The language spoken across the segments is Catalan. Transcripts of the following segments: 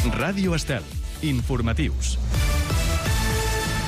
Ràdio Estel. Informatius.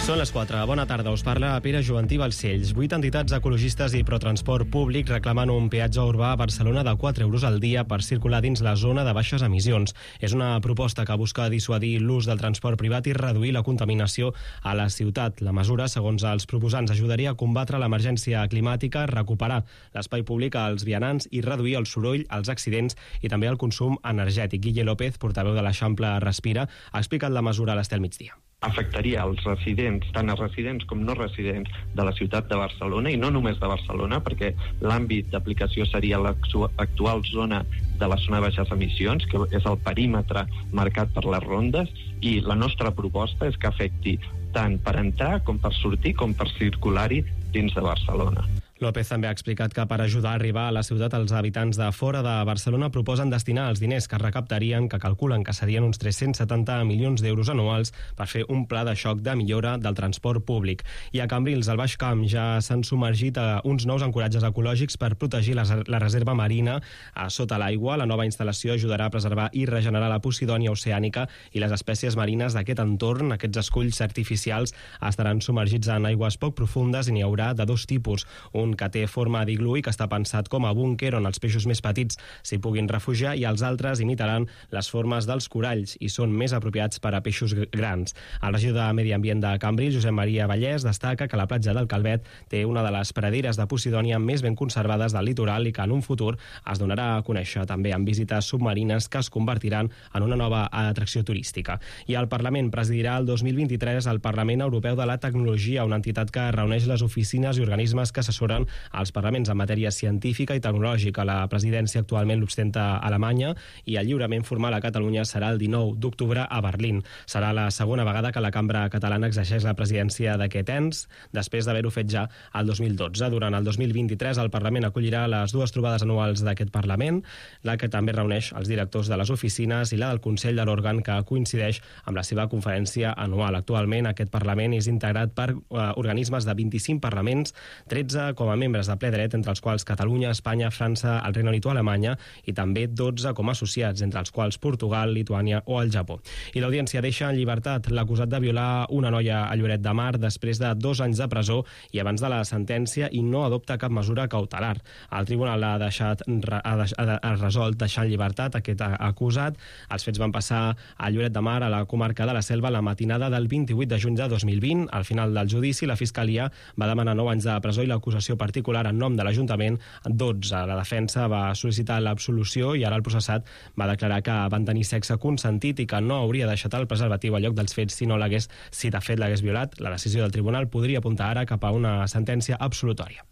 Són les 4. Bona tarda, us parla Pere Joventí Balcells. 8 entitats ecologistes i protransport públic reclamen un peatge urbà a Barcelona de 4 euros al dia per circular dins la zona de baixes emissions. És una proposta que busca dissuadir l'ús del transport privat i reduir la contaminació a la ciutat. La mesura, segons els proposants, ajudaria a combatre l'emergència climàtica, recuperar l'espai públic als vianants i reduir el soroll, els accidents i també el consum energètic. Guille López, portaveu de l'Eixample Respira, ha explicat la mesura a l'Estel Migdia. Afectaria els residents, tant els residents com no residents de la ciutat de Barcelona, i no només de Barcelona, perquè l'àmbit d'aplicació seria l'actual zona de la zona de baixes emissions, que és el perímetre marcat per les rondes, i la nostra proposta és que afecti tant per entrar com per sortir com per circular-hi dins de Barcelona. López també ha explicat que per ajudar a arribar a la ciutat els habitants de fora de Barcelona proposen destinar els diners que recaptarien, que calculen que serien uns 370 milions d'euros anuals, per fer un pla de xoc de millora del transport públic. I a Cambrils, al Baix Camp, ja s'han submergit a uns nous ancoratges ecològics per protegir la reserva marina sota l'aigua. La nova instal·lació ajudarà a preservar i regenerar la posidònia oceànica i les espècies marines d'aquest entorn. Aquests esculls artificials estaran submergits en aigües poc profundes i n'hi haurà de dos tipus. Un que té forma d'iglú i que està pensat com a búnquer on els peixos més petits s'hi puguin refugiar, i els altres imitaran les formes dels coralls i són més apropiats per a peixos grans. El regidor de Medi Ambient de Cambrils, Josep Maria Vallès, destaca que la platja del Calvet té una de les praderes de posidònia més ben conservades del litoral i que en un futur es donarà a conèixer també amb visites submarines que es convertiran en una nova atracció turística. I el Parlament presidirà el 2023 el Parlament Europeu de la Tecnologia, una entitat que reuneix les oficines i organismes que assessoren als parlaments en matèria científica i tecnològica. La presidència actualment l'ostenta Alemanya i el lliurament formal a Catalunya serà el 19 d'octubre a Berlín. Serà la segona vegada que la cambra catalana exerceix la presidència d'aquest ens, després d'haver-ho fet ja el 2012. Durant el 2023 el Parlament acollirà les dues trobades anuals d'aquest Parlament, la que també reuneix els directors de les oficines i la del Consell de l'òrgan, que coincideix amb la seva conferència anual. Actualment aquest Parlament és integrat per organismes de 25 parlaments, 13 com a membres de ple dret, entre els quals Catalunya, Espanya, França, el Regne Unit o Alemanya, i també 12 com a associats, entre els quals Portugal, Lituània o el Japó. I l'audiència deixa en llibertat l'acusat de violar una noia a Lloret de Mar després de 2 anys de presó i abans de la sentència, i no adopta cap mesura cautelar. El tribunal ha resolt deixar en llibertat aquest acusat. Els fets van passar a Lloret de Mar, a la comarca de la Selva, la matinada del 28 de juny de 2020. Al final del judici, la Fiscalia va demanar 9 anys de presó i l'acusació particular en nom de l'Ajuntament 12. La defensa va sol·licitar l'absolució i ara el processat va declarar que van tenir sexe consentit i que no hauria deixat el preservatiu al lloc dels fets si de fet l'hagués violat. La decisió del tribunal podria apuntar ara cap a una sentència absolutòria.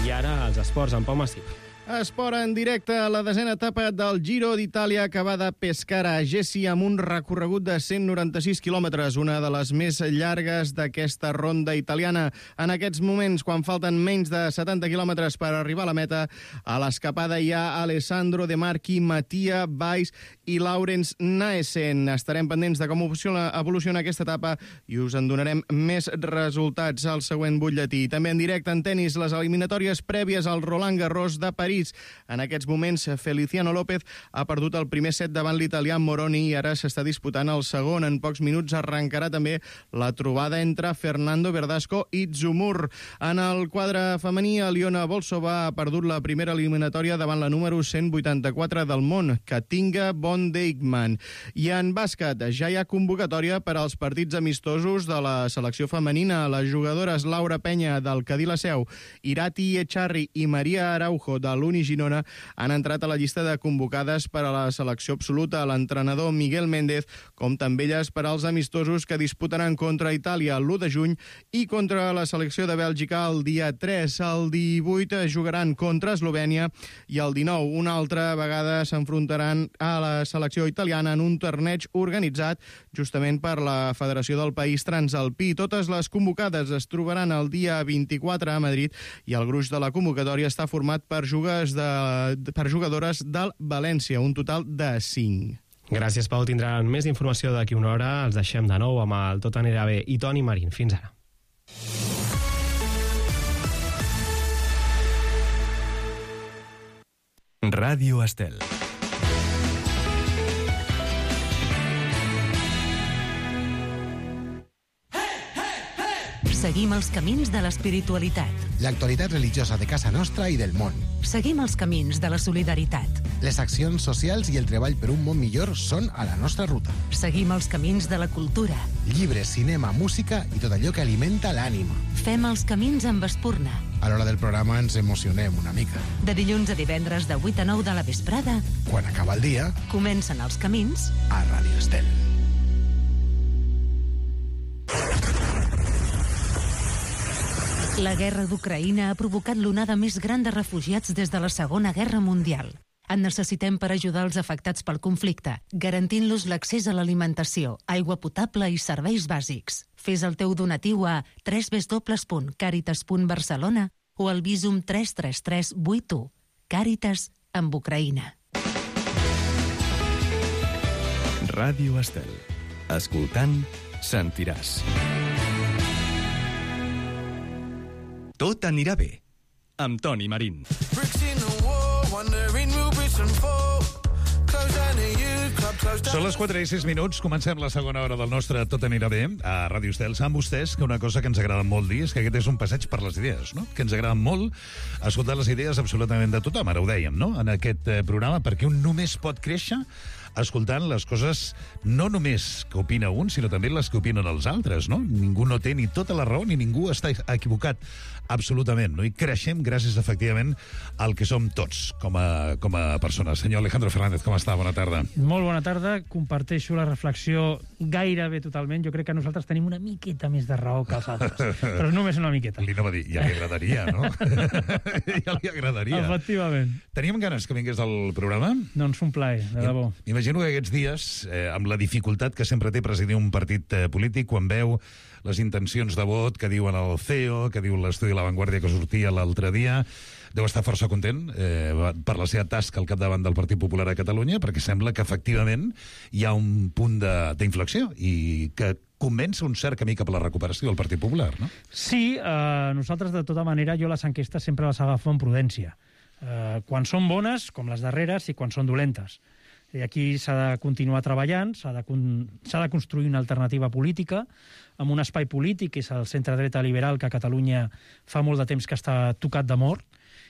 I ara els esports amb Pau Massip. Esport en directe a la 10a etapa del Giro d'Itàlia, que va de Pescara a Gessi amb un recorregut de 196 quilòmetres, una de les més llargues d'aquesta ronda italiana. En aquests moments, quan falten menys de 70 quilòmetres per arribar a la meta, a l'escapada hi ha Alessandro De Marchi, Mattia Valls i Laurens Naesen. Estarem pendents de com evoluciona aquesta etapa i us en donarem més resultats al següent butlletí. També en directe en tenis, les eliminatòries prèvies al Roland Garros de París. En aquests moments, Feliciano López ha perdut el primer set davant l'italià Moroni i ara s'està disputant el segon. En pocs minuts arrencarà també la trobada entre Fernando Verdasco i Zumur. En el quadre femení, Aliona Volsova ha perdut la primera eliminatòria davant la número 184 del món, Katinka von Dijk. I en bàsquet, ja hi ha convocatòria per als partits amistosos de la selecció femenina. Les jugadores Laura Penya del Cadí la Seu, Irati Echarri i Maria Araujo de l'Uni Girona han entrat a la llista de convocades per a la selecció absoluta. L'entrenador Miguel Méndez, com també elles per als amistosos que disputaran contra Itàlia l'1 de juny i contra la selecció de Bèlgica el dia 3. El 18 jugaran contra Eslovènia i el 19 una altra vegada s'enfrontaran a la selecció italiana en un torneig organitzat justament per la Federació del País Transalpí. Totes les convocades es trobaran el dia 24 a Madrid i el gruix de la convocatòria està format per jugadores del València, un total de 5. Gràcies, Pau. Tindran més informació d'aquí una hora. Els deixem de nou amb el Tot anirà bé i Toni Marín. Fins ara. Ràdio Estel. Seguim els camins de l'espiritualitat. L'actualitat religiosa de casa nostra i del món. Seguim els camins de la solidaritat. Les accions socials i el treball per un món millor són a la nostra ruta. Seguim els camins de la cultura. Llibres, cinema, música i tot allò que alimenta l'ànima. Fem els camins amb Espurna. A l'hora del programa ens emocionem una mica. De dilluns a divendres de 8 a 9 de la vesprada, Quan acaba el dia, comencen els camins a Ràdio Estel. La guerra d'Ucraïna ha provocat l'onada més gran de refugiats des de la Segona Guerra Mundial. En necessitem per ajudar els afectats pel conflicte, garantint-los l'accés a l'alimentació, aigua potable i serveis bàsics. Fes el teu donatiu a www.caritas.barcelona o al Visum 33381. Càritas amb Ucraïna. Ràdio Estel. Escoltant, sentiràs. Tot anirà bé. Amb Toni Marín. Són les 4:06. Comencem la segona hora del nostre Tot anirà bé a Ràdio Estel. Saben vostès que una cosa que ens agrada molt dir és que aquest és un passeig per les idees, no? Que ens agrada molt escoltar les idees absolutament de tothom. Ara ho dèiem, no?, en aquest programa, perquè un només pot créixer escoltant les coses no només que opina un, sinó també les que opinen els altres, no? Ningú no té ni tota la raó ni ningú està equivocat, absolutament, no? I creixem gràcies, efectivament, al que som tots com a persones. Senyor Alejandro Fernández, com està? Bona tarda. Molt bona tarda. Comparteixo la reflexió gairebé totalment. Jo crec que nosaltres tenim una miqueta més de raó que els altres, però només una miqueta. Li anava a dir, ja li agradaria, no? Ja li agradaria. Efectivament. Teníem ganes que vingués al programa? Doncs un plaer, de debò. M'imagino que aquests dies, amb la dificultat que sempre té presidir un partit polític, quan veu les intencions de vot que diuen el CEO, que diu l'estudi La Vanguardia que sortia l'altre dia, deu estar força content per la seva tasca al capdavant del Partit Popular a Catalunya, perquè sembla que efectivament hi ha un punt d'inflexió i que comença un cert camí cap a la recuperació del Partit Popular, no? Sí, nosaltres, de tota manera, jo les enquestes sempre les agafo amb prudència. Quan són bones, com les darreres, i quan són dolentes. I aquí s'ha de continuar treballant, s'ha de construir una alternativa política, amb un espai polític, que és el centre-dreta liberal, que a Catalunya fa molt de temps que està tocat de mort,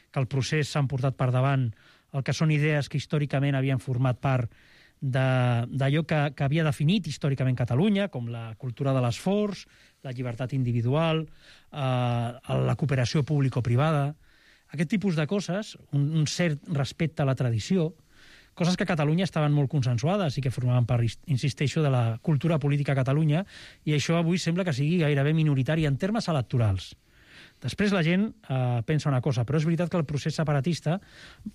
que el procés s'han portat per davant el que són idees que històricament havien format part d'allò que havia definit històricament Catalunya, com la cultura de l'esforç, la llibertat individual, la cooperació público-privada, aquest tipus de coses, un cert respecte a la tradició, coses que a Catalunya estaven molt consensuades i que formaven part, insisteixo, de la cultura política a Catalunya, i això avui sembla que sigui gairebé minoritari en termes electorals. Després la gent pensa una cosa, però és veritat que el procés separatista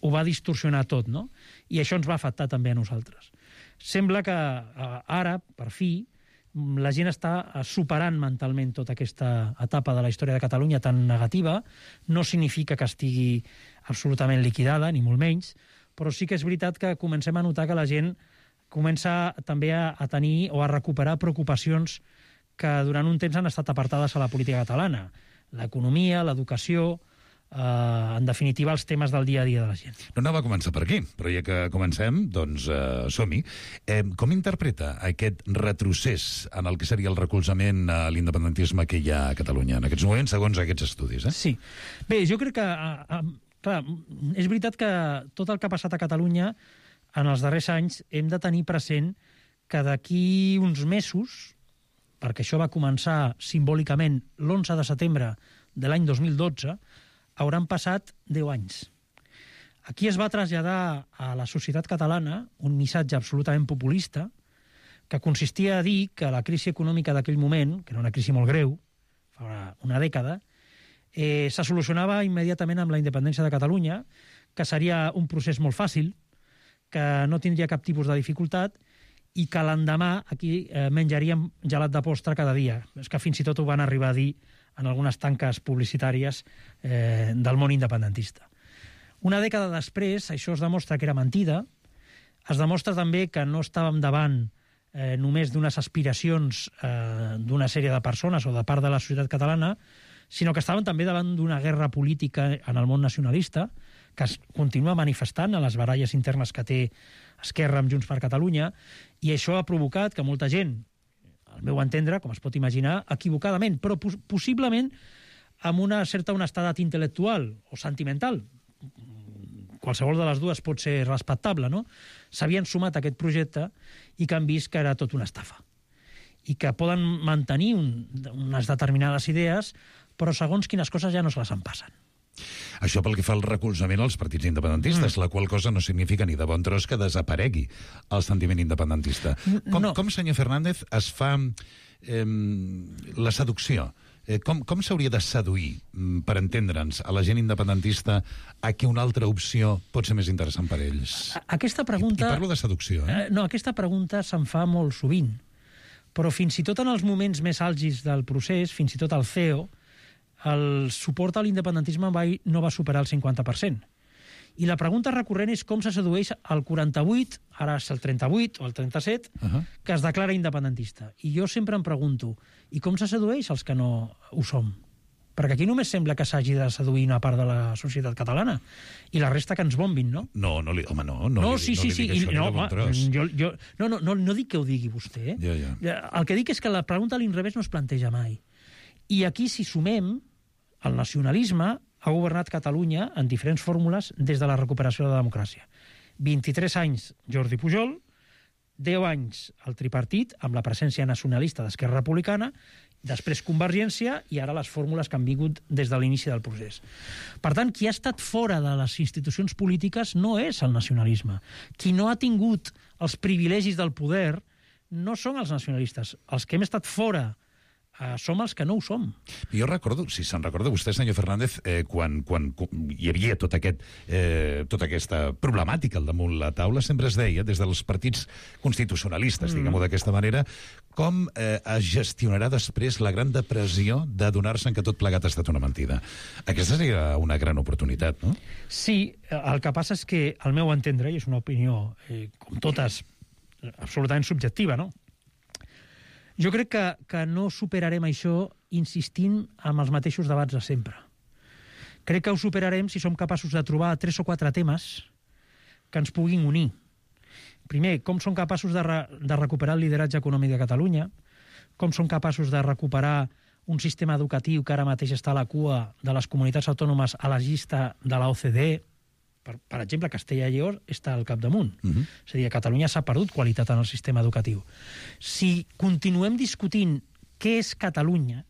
ho va distorsionar tot, no? I això ens va afectar també a nosaltres. Sembla que ara, per fi, la gent està superant mentalment tota aquesta etapa de la història de Catalunya tan negativa. No significa que estigui absolutament liquidada, ni molt menys, però sí que és veritat que comencem a notar que la gent comença també a tenir o a recuperar preocupacions que durant un temps han estat apartades a la política catalana. L'economia, l'educació, en definitiva, els temes del dia a dia de la gent. No anava a començar per aquí, però ja que comencem, doncs som-hi. Com interpreta aquest retrocés en el que seria el recolzament a l'independentisme que hi ha a Catalunya en aquests moments, segons aquests estudis? Sí. Bé, jo crec que... Clar, és veritat que tot el que ha passat a Catalunya en els darrers anys hem de tenir present que d'aquí uns mesos, perquè això va començar simbòlicament l'11 de setembre de l'any 2012, hauran passat 10 anys. Aquí es va traslladar a la societat catalana un missatge absolutament populista que consistia a dir que la crisi econòmica d'aquell moment, que era una crisi molt greu, fa una dècada, se solucionava immediatament amb la independència de Catalunya, que seria un procés molt fàcil, que no tindria cap tipus de dificultat i que l'endemà aquí menjaríem gelat de postre cada dia. És que fins i tot ho van arribar a dir en algunes tanques publicitàries del món independentista. Una dècada després, això es demostra que era mentida, es demostra també que no estàvem davant només d'unes aspiracions d'una sèrie de persones o de part de la societat catalana, sinó que estaven també davant d'una guerra política en el món nacionalista, que es continua manifestant a les baralles internes que té Esquerra amb Junts per Catalunya, i això ha provocat que molta gent, al meu entendre, com es pot imaginar, equivocadament, però possiblement amb una certa honestedat intel·lectual o sentimental. Qualsevol de les dues pot ser respectable, no? S'havien sumat a aquest projecte i que han vist que era tot una estafa. I que poden mantenir unes determinades idees, però segons quines coses ja no se les en passen. Això pel que fa al recolzament als partits independentistes, la qual cosa no significa ni de bon tros que desaparegui el sentiment independentista. Com senyor Fernández, es fa la seducció? Com s'hauria de seduir, per entendre'ns, a la gent independentista a que una altra opció pot ser més interessant per ells? Aquesta pregunta... I parlo de seducció, eh? No, aquesta pregunta se'n fa molt sovint. Però fins i tot en els moments més àlgids del procés, fins i tot al CEO, el suport a l'independentisme no va superar el 50%. I la pregunta recurrent és com se sedueix el 48, ara és el 38 o el 37, que es declara independentista. I jo sempre em pregunto, i com se sedueix els que no ho som? Perquè aquí només sembla que s'hagi de seduir una part de la societat catalana i la resta que ens bombin, no? No, li dic això ni de bon tros. No dic que ho digui vostè. El que dic és que la pregunta a l'inrevés no es planteja mai. I aquí, si sumem, el nacionalisme ha governat Catalunya en diferents fórmules des de la recuperació de la democràcia. 23 anys Jordi Pujol, 10 anys el tripartit, amb la presència nacionalista d'Esquerra Republicana, després Convergència i ara les fórmules que han vingut des de l'inici del procés. Per tant, qui ha estat fora de les institucions polítiques no és el nacionalisme. Qui no ha tingut els privilegis del poder no són els nacionalistes. Els que hem estat fora som els que no ho som. Jo recordo, si se'n recorda vostè, senyor Fernández, quan hi havia tota aquesta problemàtica al damunt la taula, sempre es deia, des dels partits constitucionalistes, diguem-ho d'aquesta manera, com es gestionarà després la gran depressió de donar-se que tot plegat ha estat una mentida. Aquesta seria una gran oportunitat, no? Sí, el que passa és que, al meu entendre, i és una opinió, com totes, absolutament subjectiva, no? Jo crec que no superarem això insistint en els mateixos debats de sempre. Crec que ho superarem si som capaços de trobar 3 o 4 temes que ens puguin unir. Primer, com som capaços de recuperar el lideratge econòmic de Catalunya, com som capaços de recuperar un sistema educatiu que ara mateix està a la cua de les comunitats autònomes a la llista de la OCDE. Per exemple, Castella i Lleó està al capdamunt. És a dir, a Catalunya s'ha perdut qualitat en el sistema educatiu. Si continuem discutint què és Catalunya,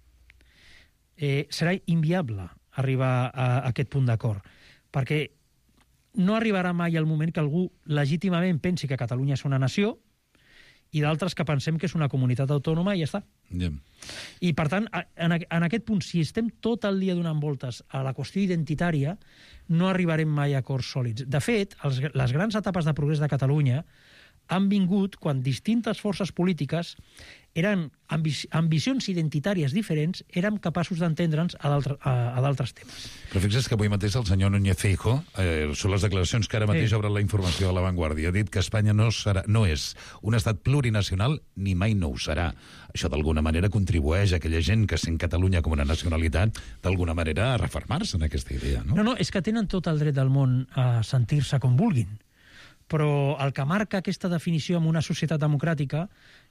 serà inviable arribar a aquest punt d'acord, perquè no arribarà mai el moment que algú legítimament pensi que Catalunya és una nació i d'altres que pensem que és una comunitat autònoma i ja està. I, per tant, en aquest punt, si estem tot el dia donant voltes a la qüestió identitària, no arribarem mai a acords sòlids. De fet, les grans etapes de progrés de Catalunya han vingut quan distintes forces polítiques eren ambicions identitàries diferents, érem capaços d'entendre'ns a d'altres temes. Però fixa't que avui mateix el senyor Núñez Feijóo, són les declaracions que ara mateix obren la informació de La Vanguardia, ha dit que Espanya no és un estat plurinacional ni mai no ho serà. Això d'alguna manera contribueix a aquella gent que sent Catalunya com una nacionalitat d'alguna manera a refermar-se en aquesta idea, no? No, és que tenen tot el dret del món a sentir-se com vulguin. Però el que marca aquesta definició en una societat democràtica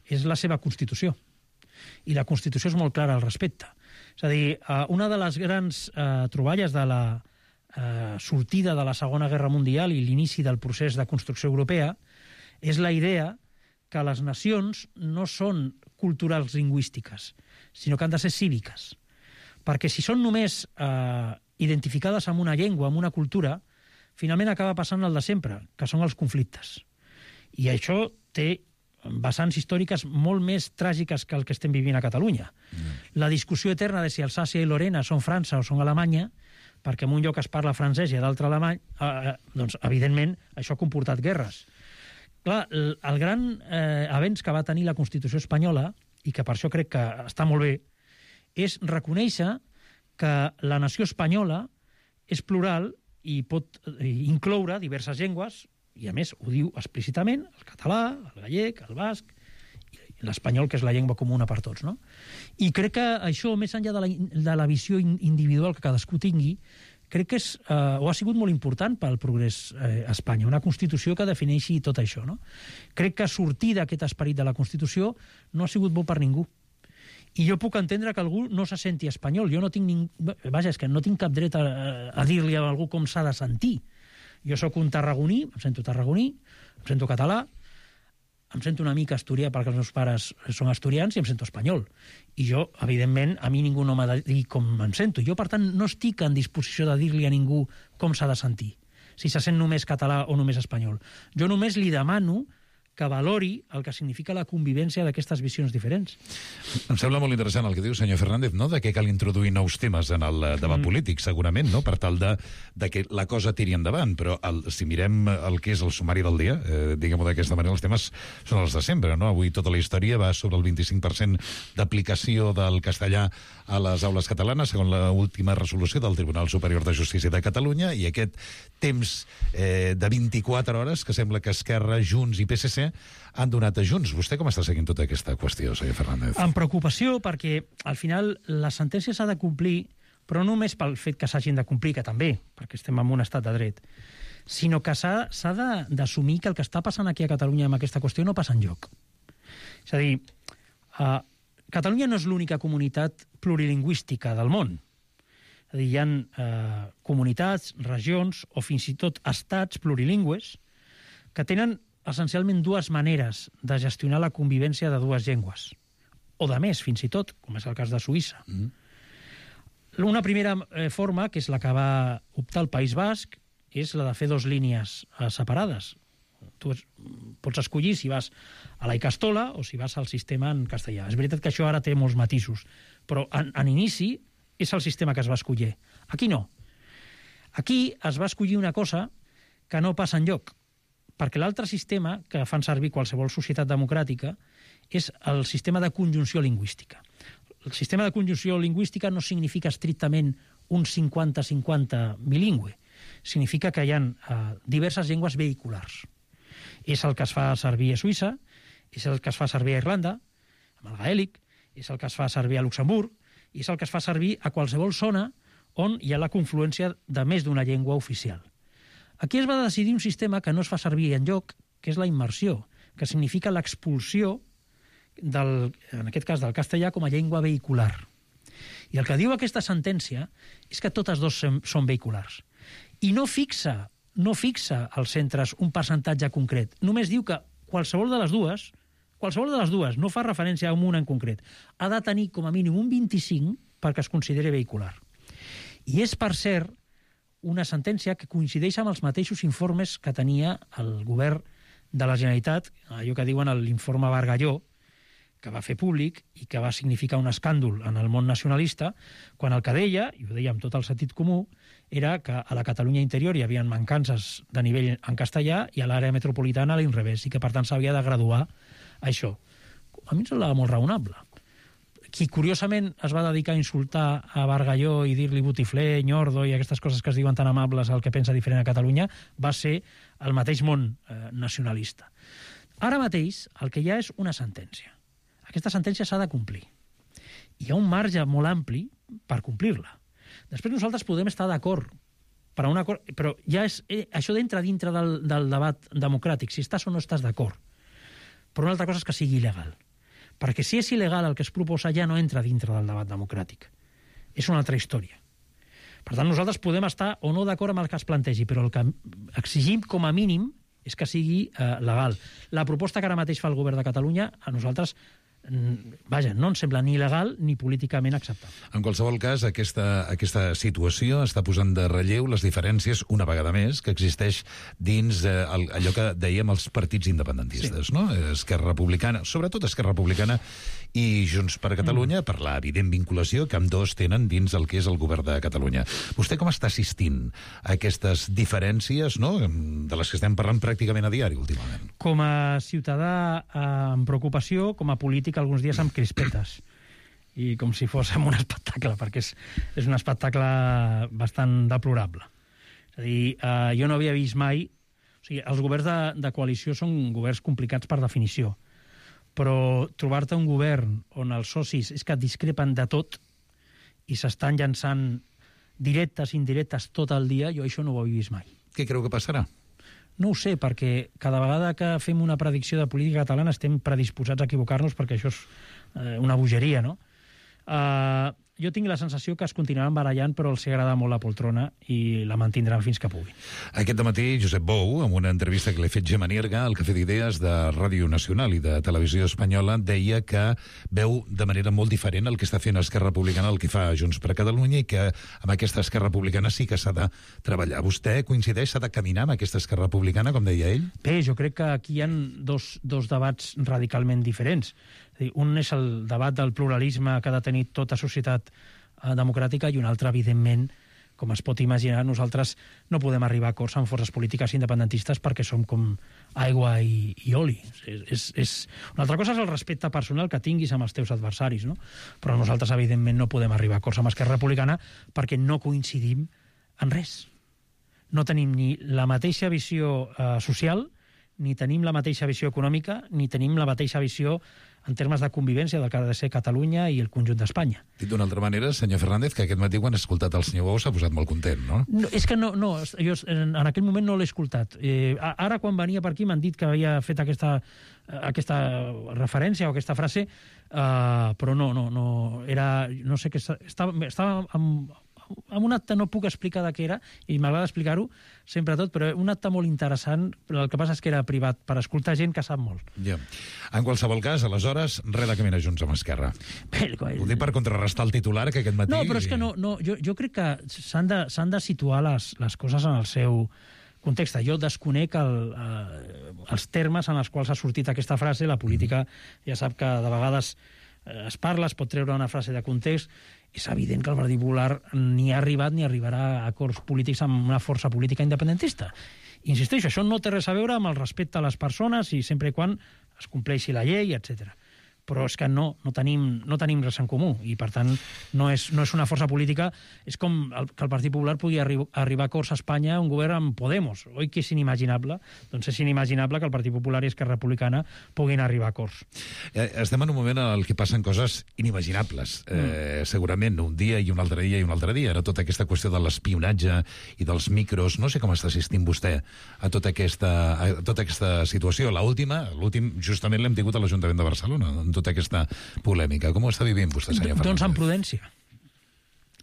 és la seva Constitució. I la Constitució és molt clara al respecte. És a dir, una de les grans troballes de la sortida de la Segona Guerra Mundial i l'inici del procés de construcció europea és la idea que les nacions no són culturals lingüístiques, sinó que han de ser cíviques. Perquè si són només identificades amb una llengua, amb una cultura, finalment acaba passant el de sempre, que són els conflictes. I això té vessants històriques molt més tràgiques que el que estem vivint a Catalunya. La discussió eterna de si Alsàcia i Lorena són França o són Alemanya, perquè en un lloc es parla francès i a l'altre alemany, doncs, evidentment, això ha comportat guerres. Clar, el gran avenç que va tenir la Constitució espanyola, i que per això crec que està molt bé, és reconèixer que la nació espanyola és plural i pot incloure diverses llengües, i a més ho diu explícitament, el català, el gallec, el basc, i l'espanyol, que és la llengua comuna per tots, no? I crec que això, més enllà de la visió individual que cadascú tingui, crec que o ha sigut molt important pel progrés a Espanya, una Constitució que defineixi tot això, no? Crec que sortir d'aquest esperit de la Constitució no ha sigut bo per ningú. I jo puc entendre que algú no se senti espanyol. Jo no tinc vaja, és que no tinc cap dret a dir-li a algú com s'ha de sentir. Jo sóc un tarragoní, em sento tarragoní, em sento català, em sento una mica asturià perquè els meus pares són asturians i em sento espanyol. I jo, evidentment, a mi ningú no m'ha de dir com em sento. Jo, per tant, no estic en disposició de dir-li a ningú com s'ha de sentir, si se sent només català o només espanyol. Jo només li demano que valori el que significa la convivència d'aquestes visions diferents. Em sembla molt interessant el que diu senyor Fernández, no?, de que cal introduir nous temes en el debat polític, segurament, no?, per tal de que la cosa tiri endavant, però si mirem el que és el sumari del dia, diguem-ho d'aquesta manera, els temes són els de sempre, no? Avui tota la història va sobre el 25% d'aplicació del castellà a les aules catalanes, segons l'última resolució del Tribunal Superior de Justícia de Catalunya, i aquest temps de 24 hores que sembla que Esquerra, Junts i PSC han donat a Junts. Vostè com està seguint tota aquesta qüestió, senyor Fernández? Amb preocupació, perquè al final la sentència s'ha de complir, però no només pel fet que s'hagin de complir, que també, perquè estem en un estat de dret, sinó que s'ha d'assumir que el que està passant aquí a Catalunya amb aquesta qüestió no passa enlloc. És a dir, Catalunya no és l'única comunitat plurilingüística del món. És a dir, hi ha comunitats, regions o fins i tot estats plurilingües que tenen essencialment dues maneres de gestionar la convivència de dues llengües, o de més, fins i tot, com és el cas de Suïssa. Una primera forma, que és la que va optar el País Basc, és la de fer dues línies separades. Tu pots escollir si vas a la Icastola o si vas al sistema en castellà. És veritat que això ara té molts matisos, però en inici és el sistema que es va escollir. Aquí no. Aquí es va escollir una cosa que no passa enlloc, perquè l'altre sistema que fan servir qualsevol societat democràtica és el sistema de conjunció lingüística. El sistema de conjunció lingüística no significa estrictament un 50-50 bilingüe. Significa que hi ha diverses llengües vehiculars. És el que es fa servir a Suïssa, és el que es fa servir a Irlanda, amb el gaèlic, és el que es fa servir a Luxemburg, i és el que es fa servir a qualsevol zona on hi ha la confluència de més d'una llengua oficial. Aquí es va decidir un sistema que no es fa servir enlloc, que és la immersió, que significa l'expulsió, en aquest cas del castellà, com a llengua vehicular. I el que diu aquesta sentència és que totes dues són vehiculars. I no fixa als centres un percentatge concret. Només diu que qualsevol de les dues, no fa referència a una en concret, ha de tenir com a mínim un 25 perquè es consideri vehicular. I és, per cert, una sentència que coincideix amb els mateixos informes que tenia el govern de la Generalitat, allò que diuen l'informe Bargalló, que va fer públic i que va significar un escàndol en el món nacionalista, quan el que deia, i ho deia amb tot el sentit comú, era que a la Catalunya interior hi havia mancances de nivell en castellà i a l'àrea metropolitana a l'inrevés, i que per tant s'havia de graduar això. A mi em semblava molt raonable. Qui curiosament es va dedicar a insultar a Bargalló i dir-li botifler, nyordo i aquestes coses que es diuen tan amables al que pensa diferent a Catalunya va ser el mateix món nacionalista. Ara mateix el que hi ha és una sentència. Aquesta sentència s'ha de complir. Hi ha un marge molt ampli per complir-la. Després nosaltres podem estar d'acord, però ja això entra dintre del debat democràtic, si estàs o no estàs d'acord. Però una altra cosa és que sigui il·legal. Perquè si és il·legal el que es proposa ja no entra dintre del debat democràtic. És una altra història. Per tant, nosaltres podem estar o no d'acord amb el que es plantegi, però el que exigim com a mínim és que sigui legal. La proposta que ara mateix fa el govern de Catalunya a nosaltres no ens sembla ni legal ni políticament acceptable. En qualsevol cas, aquesta situació està posant de relleu les diferències, una vegada més, que existeix dins allò que dèiem els partits independentistes, sí. No? Esquerra Republicana, sobretot Esquerra Republicana i Junts per Catalunya, per l'evident vinculació que ambdós tenen dins el que és el govern de Catalunya. Vostè com està assistint a aquestes diferències, no?, de les que estem parlant pràcticament a diari últimament? Com a ciutadà amb preocupació, com a polític alguns dies amb crispetes i com si fóssim un espectacle, perquè és un espectacle bastant deplorable. És a dir, jo no havia vist mai... O sigui, els governs de coalició són governs complicats per definició, però trobar-te un govern on els socis és que discrepen de tot i s'estan llançant directes, indirectes, tot el dia, jo això no ho he vist mai. Què creu que passarà? No ho sé, perquè cada vegada que fem una predicció de política catalana estem predisposats a equivocar-nos, perquè això és una bogeria, no? Jo tinc la sensació que es continuaran barallant, però els agrada molt la poltrona i la mantindran fins que puguin. Aquest dematí, Josep Bou, en una entrevista que li ha fet Gemma Nierga, al Cafè d'Idees de Ràdio Nacional i de Televisió Espanyola, deia que veu de manera molt diferent el que està fent Esquerra Republicana, el que fa Junts per Catalunya, i que amb aquesta Esquerra Republicana sí que s'ha de treballar. Vostè coincideix? S'ha de caminar amb aquesta Esquerra Republicana, com deia ell? Bé, jo crec que aquí hi ha dos debats radicalment diferents. Un és el debat del pluralisme que ha de tenir tota societat democràtica i un altre, evidentment, com es pot imaginar, nosaltres no podem arribar a acords amb forces polítiques independentistes perquè som com aigua i oli. Una altra cosa és el respecte personal que tinguis amb els teus adversaris, no? Però nosaltres, evidentment, no podem arribar a acords amb Esquerra Republicana perquè no coincidim en res. No tenim ni la mateixa visió social, ni tenim la mateixa visió econòmica, ni tenim la mateixa visió en termes de convivència del que ha de ser Catalunya i el conjunt d'Espanya. Dit d'una altra manera, senyor Fernández, que aquest matí quan ha escoltat el senyor Bou s'ha posat molt content, no? No, és que no, jo en aquell moment no l'he escoltat. Ara, quan venia per aquí, m'han dit que havia fet aquesta referència o aquesta frase, però no era... No sé què... Estava amb un acte, no puc explicar de què era, i m'agrada explicar-ho sempre tot, però un acte molt interessant, però el que passa és que era privat, per escoltar gent que sap molt. Ja. En qualsevol cas, aleshores, res de caminar junts amb Esquerra. Ho dic per contrarrestar el titular que aquest matí... No, però és que no, jo crec que s'han de situar les coses en el seu context. Jo desconec els termes en els quals ha sortit aquesta frase. La política ja sap que de vegades es parla, es pot treure una frase de context. És evident que el Partit Popular ni ha arribat ni arribarà a acords polítics amb una força política independentista. Insisteixo, això no té res a veure amb el respecte a les persones i sempre i quan es compleixi la llei, etc. Però és que no tenim res en comú i, per tant, no és una força política. És com que el Partit Popular pugui arribar a acords a Espanya un govern amb Podemos. Oi que és inimaginable? Doncs és inimaginable que el Partit Popular i Esquerra Republicana puguin arribar a acords. Estem en un moment en què passen coses inimaginables. Segurament un dia i un altre dia i un altre dia. Ara tota aquesta qüestió de l'espionatge i dels micros, no sé com està assistint vostè a tota aquesta situació. L'últim justament l'hem tingut a l'Ajuntament de Barcelona, tota aquesta polèmica. Com ho està vivint vostè, senyor Fernández? Doncs amb prudència.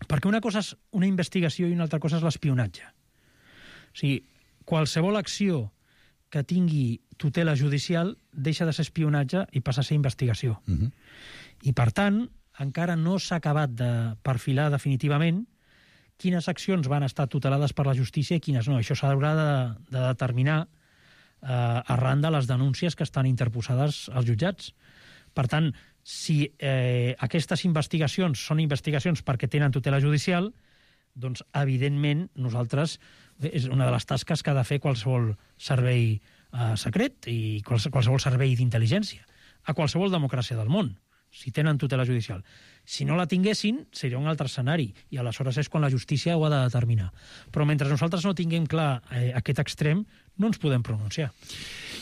Perquè una cosa és una investigació i una altra cosa és l'espionatge. O sigui, qualsevol acció que tingui tutela judicial deixa de ser espionatge i passa a ser investigació. I, per tant, encara no s'ha acabat de perfilar definitivament quines accions van estar tutelades per la justícia i quines no. Això s'haurà de determinar arran de les denúncies que estan interposades als jutjats. Per tant, si aquestes investigacions són investigacions perquè tenen tutela judicial, doncs, evidentment, nosaltres és una de les tasques que ha de fer qualsevol servei secret i qualsevol servei d'intel·ligència a qualsevol democràcia del món, si tenen tutela judicial. Si no la tinguessin, seria un altre escenari, i aleshores és quan la justícia ho ha de determinar. Però mentre nosaltres no tinguem clar aquest extrem, no ens podem pronunciar.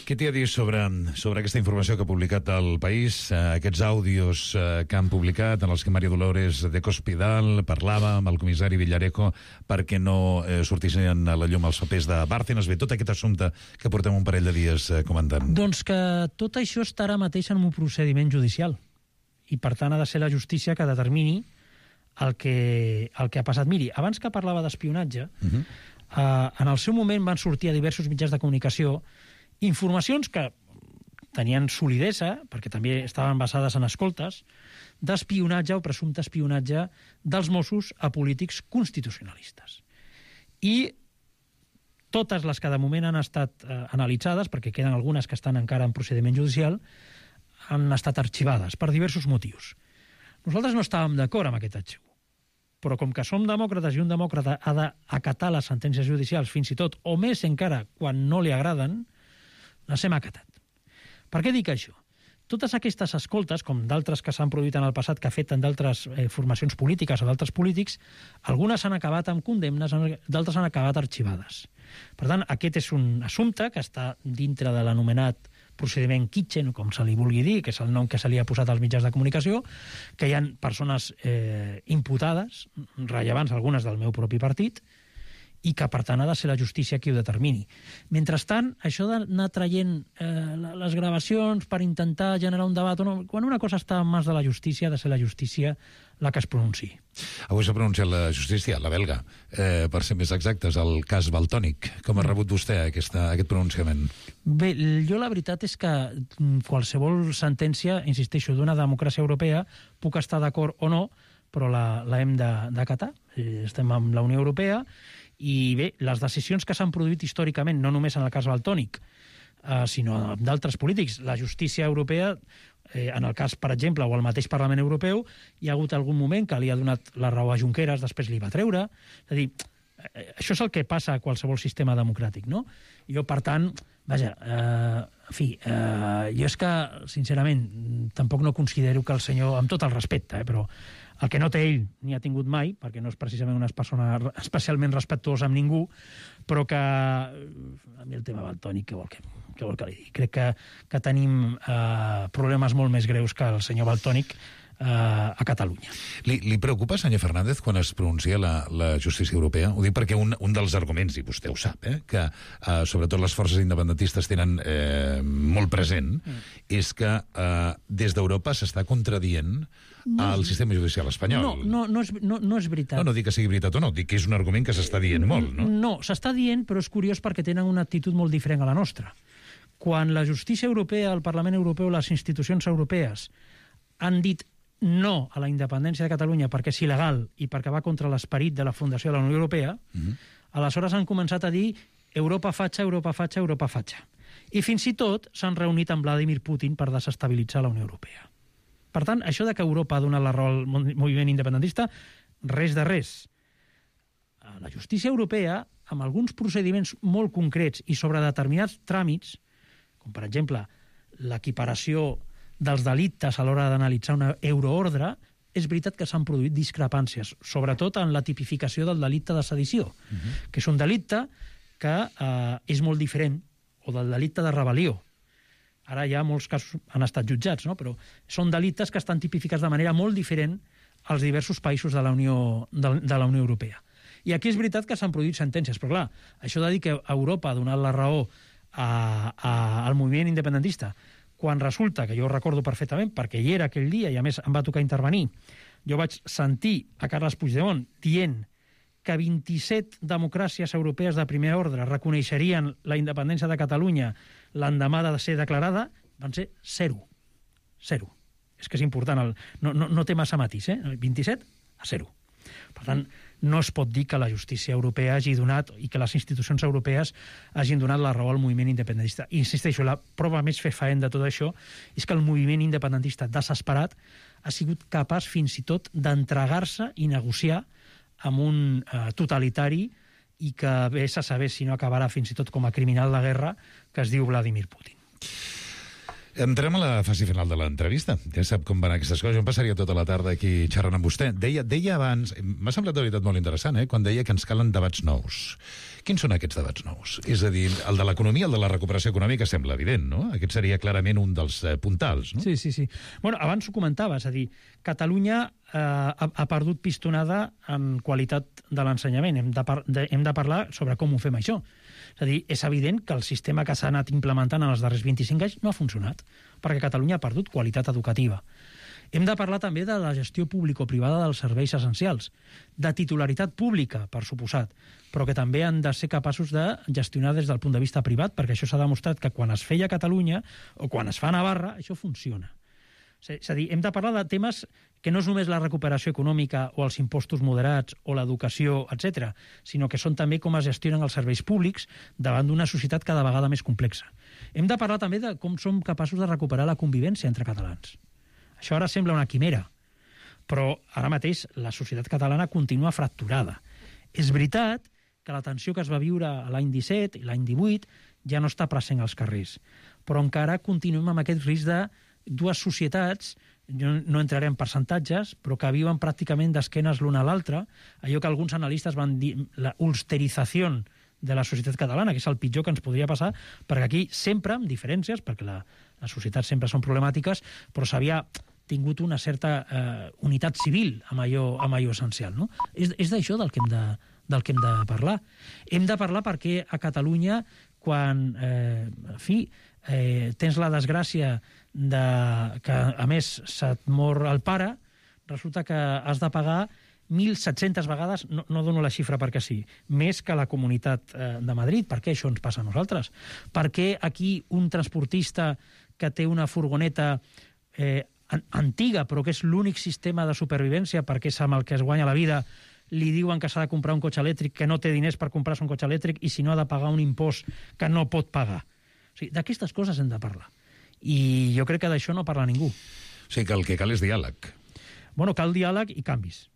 Què t'hi ha dit sobre aquesta informació que ha publicat el País, aquests àudios que han publicat en els que María Dolores de Cospedal parlava amb el comissari Villarejo perquè no sortissin a la llum els papers de Bárcenas? Bé, tot aquest assumpte que portem un parell de dies comentant. Doncs que tot això està ara mateix en un procediment judicial i, per tant, ha de ser la justícia que determini el que ha passat. Miri, abans que parlava d'espionatge, en el seu moment van sortir a diversos mitjans de comunicació informacions que tenien solidesa, perquè també estaven basades en escoltes, d'espionatge o presumpte espionatge dels Mossos a polítics constitucionalistes. I totes les que de moment han estat analitzades, perquè queden algunes que estan encara en procediment judicial, han estat arxivades per diversos motius. Nosaltres no estàvem d'acord amb aquest arxiu, però com que som demòcrates i un demòcrata ha d'acatar les sentències judicials fins i tot, o més encara, quan no li agraden, les hem acatat. Per què dic això? Totes aquestes escoltes, com d'altres que s'han produït en el passat, que afecten d'altres formacions polítiques o d'altres polítics, algunes han acabat amb condemnes, d'altres han acabat arxivades. Per tant, aquest és un assumpte que està dintre de l'anomenat procediment Kitchen, com se li vulgui dir, que és el nom que se li ha posat als mitjans de comunicació, que hi ha persones imputades, rellevants, algunes del meu propi partit, i que, per tant, ha de ser la justícia qui ho determini. Mentrestant, això d'anar traient les gravacions per intentar generar un debat, quan una cosa està en mans de la justícia, ha de ser la justícia la que es pronunciï. Avui s'ha pronunciat la justícia, la belga, per ser més exactes, el cas Valtònyc. Com ha rebut vostè aquest pronunciament? Bé, jo la veritat és que qualsevol sentència, insisteixo, d'una democràcia europea, puc estar d'acord o no, però la hem d'acatar. Estem amb la Unió Europea i bé, les decisions que s'han produït històricament, no només en el cas Valtònyc, sinó d'altres polítics, la justícia europea, en el cas, per exemple, o el mateix Parlament Europeu, hi ha hagut algun moment que li ha donat la raó a Junqueras, després li va treure. És a dir, això és el que passa a qualsevol sistema democràtic, no? Jo, per tant, vaja, en fi, jo és que, sincerament, tampoc no considero que el senyor, amb tot el respecte, però el que no té ell ni ha tingut mai, perquè no és precisament una persona especialment respectuosa amb ningú, però que a mi el tema Valtònyc, què vol que li digui? Crec que tenim problemes molt més greus que el senyor Valtònyc a Catalunya. Li preocupa, senyor Fernández, quan es pronuncia la justícia europea? Ho dic perquè un dels arguments, i vostè ho sap, que sobretot les forces independentistes tenen molt present, és que des d'Europa s'està contradient el sistema judicial espanyol. No és veritat. No dic que sigui veritat o no, dic que és un argument que s'està dient molt, no? No, s'està dient, però és curiós perquè tenen una actitud molt diferent a la nostra. Quan la justícia europea, el Parlament Europeu, les institucions europees han dit no a la independència de Catalunya perquè és il·legal i perquè va contra l'esperit de la fundació de la Unió Europea, aleshores han començat a dir Europa fatxa, Europa fatxa, Europa fatxa. I fins i tot s'han reunit amb Vladimir Putin per desestabilitzar la Unió Europea. Per tant, això de que Europa ha donat la raó al moviment independentista, res de res. La justícia europea, amb alguns procediments molt concrets i sobre determinats tràmits, com per exemple l'equiparació dels delictes a l'hora d'analitzar una euroordre, és veritat que s'han produït discrepàncies, sobretot en la tipificació del delicte de sedició, que és un delicte que és molt diferent, o del delicte de rebel·lió. Ara ja molts casos han estat jutjats, no? Però són delictes que estan tipificats de manera molt diferent als diversos països de la Unió Europea. I aquí és veritat que s'han produït sentències, però clar, això de dir que Europa ha donat la raó al moviment independentista, quan resulta, que jo ho recordo perfectament, perquè hi era aquell dia i a més em va tocar intervenir, jo vaig sentir a Carles Puigdemont dient que 27 democràcies europees de primer ordre reconeixerien la independència de Catalunya l'endemà de ser declarada, van ser 0. 0. És que és important, no té massa matís, 27 a 0. Per tant, no es pot dir que la justícia europea hagi donat i que les institucions europees hagin donat la raó al moviment independentista. I insisteixo, la prova més fefaent de tot això és que el moviment independentista desesperat ha sigut capaç fins i tot d'entregar-se i negociar amb un totalitari i que vés a saber si no acabarà fins i tot com a criminal de guerra que es diu Vladimir Putin. Entrem a la fase final de l'entrevista. Ja sap com van aquestes coses. Jo em passaria tota la tarda aquí xerrant amb vostè. Deia abans, m'ha semblat de veritat molt interessant, quan deia que ens calen debats nous. Quins són aquests debats nous? És a dir, el de l'economia, el de la recuperació econòmica sembla evident, no? Aquest seria clarament un dels puntals, no? Sí. Bueno, abans ho comentava, és a dir, Catalunya ha perdut pistonada en qualitat de l'ensenyament. Hem de parlar sobre com ho fem això. És a dir, és evident que el sistema que s'ha anat implementant en els darrers 25 anys no ha funcionat, perquè Catalunya ha perdut qualitat educativa. Hem de parlar també de la gestió público-privada dels serveis essencials, de titularitat pública, per suposat, però que també han de ser capaços de gestionar des del punt de vista privat, perquè això s'ha demostrat que quan es feia a Catalunya o quan es fa a Navarra, això funciona. És a dir, hem de parlar de temes que no és només la recuperació econòmica o els impostos moderats o l'educació, etc., sinó que són també com es gestionen els serveis públics davant d'una societat cada vegada més complexa. Hem de parlar també de com som capaços de recuperar la convivència entre catalans. Això ara sembla una quimera, però ara mateix la societat catalana continua fracturada. És veritat que la tensió que es va viure l'any 17 i l'any 18 ja no està present als carrers, però encara continuem amb aquest risc de dues societats, jo no entraré en percentatges, però que viuen pràcticament d'esquenes l'una a l'altra, allò que alguns analistes van dir la ulsterització de la societat catalana, que és el pitjor que ens podria passar, perquè aquí sempre, amb diferències, perquè les societats sempre són problemàtiques, però s'havia tingut una certa unitat civil amb allò essencial. No? És d'això del que hem de parlar. Hem de parlar perquè a Catalunya, quan tens la desgràcia que, a més, se't mor el pare, resulta que has de pagar 1.700 vegades, no dono la xifra perquè sí, més que la Comunitat de Madrid. Per què això ens passa a nosaltres? Per què aquí un transportista que té una furgoneta antiga, però que és l'únic sistema de supervivència perquè és amb el que es guanya la vida, li diuen que s'ha de comprar un cotxe elèctric, que no té diners per comprar-se un cotxe elèctric i si no ha de pagar un impost que no pot pagar. O sigui, d'aquestes coses hem de parlar. I jo crec que d'això no parla ningú. O sigui que el que cal és diàleg. Bueno, cal diàleg i canvis.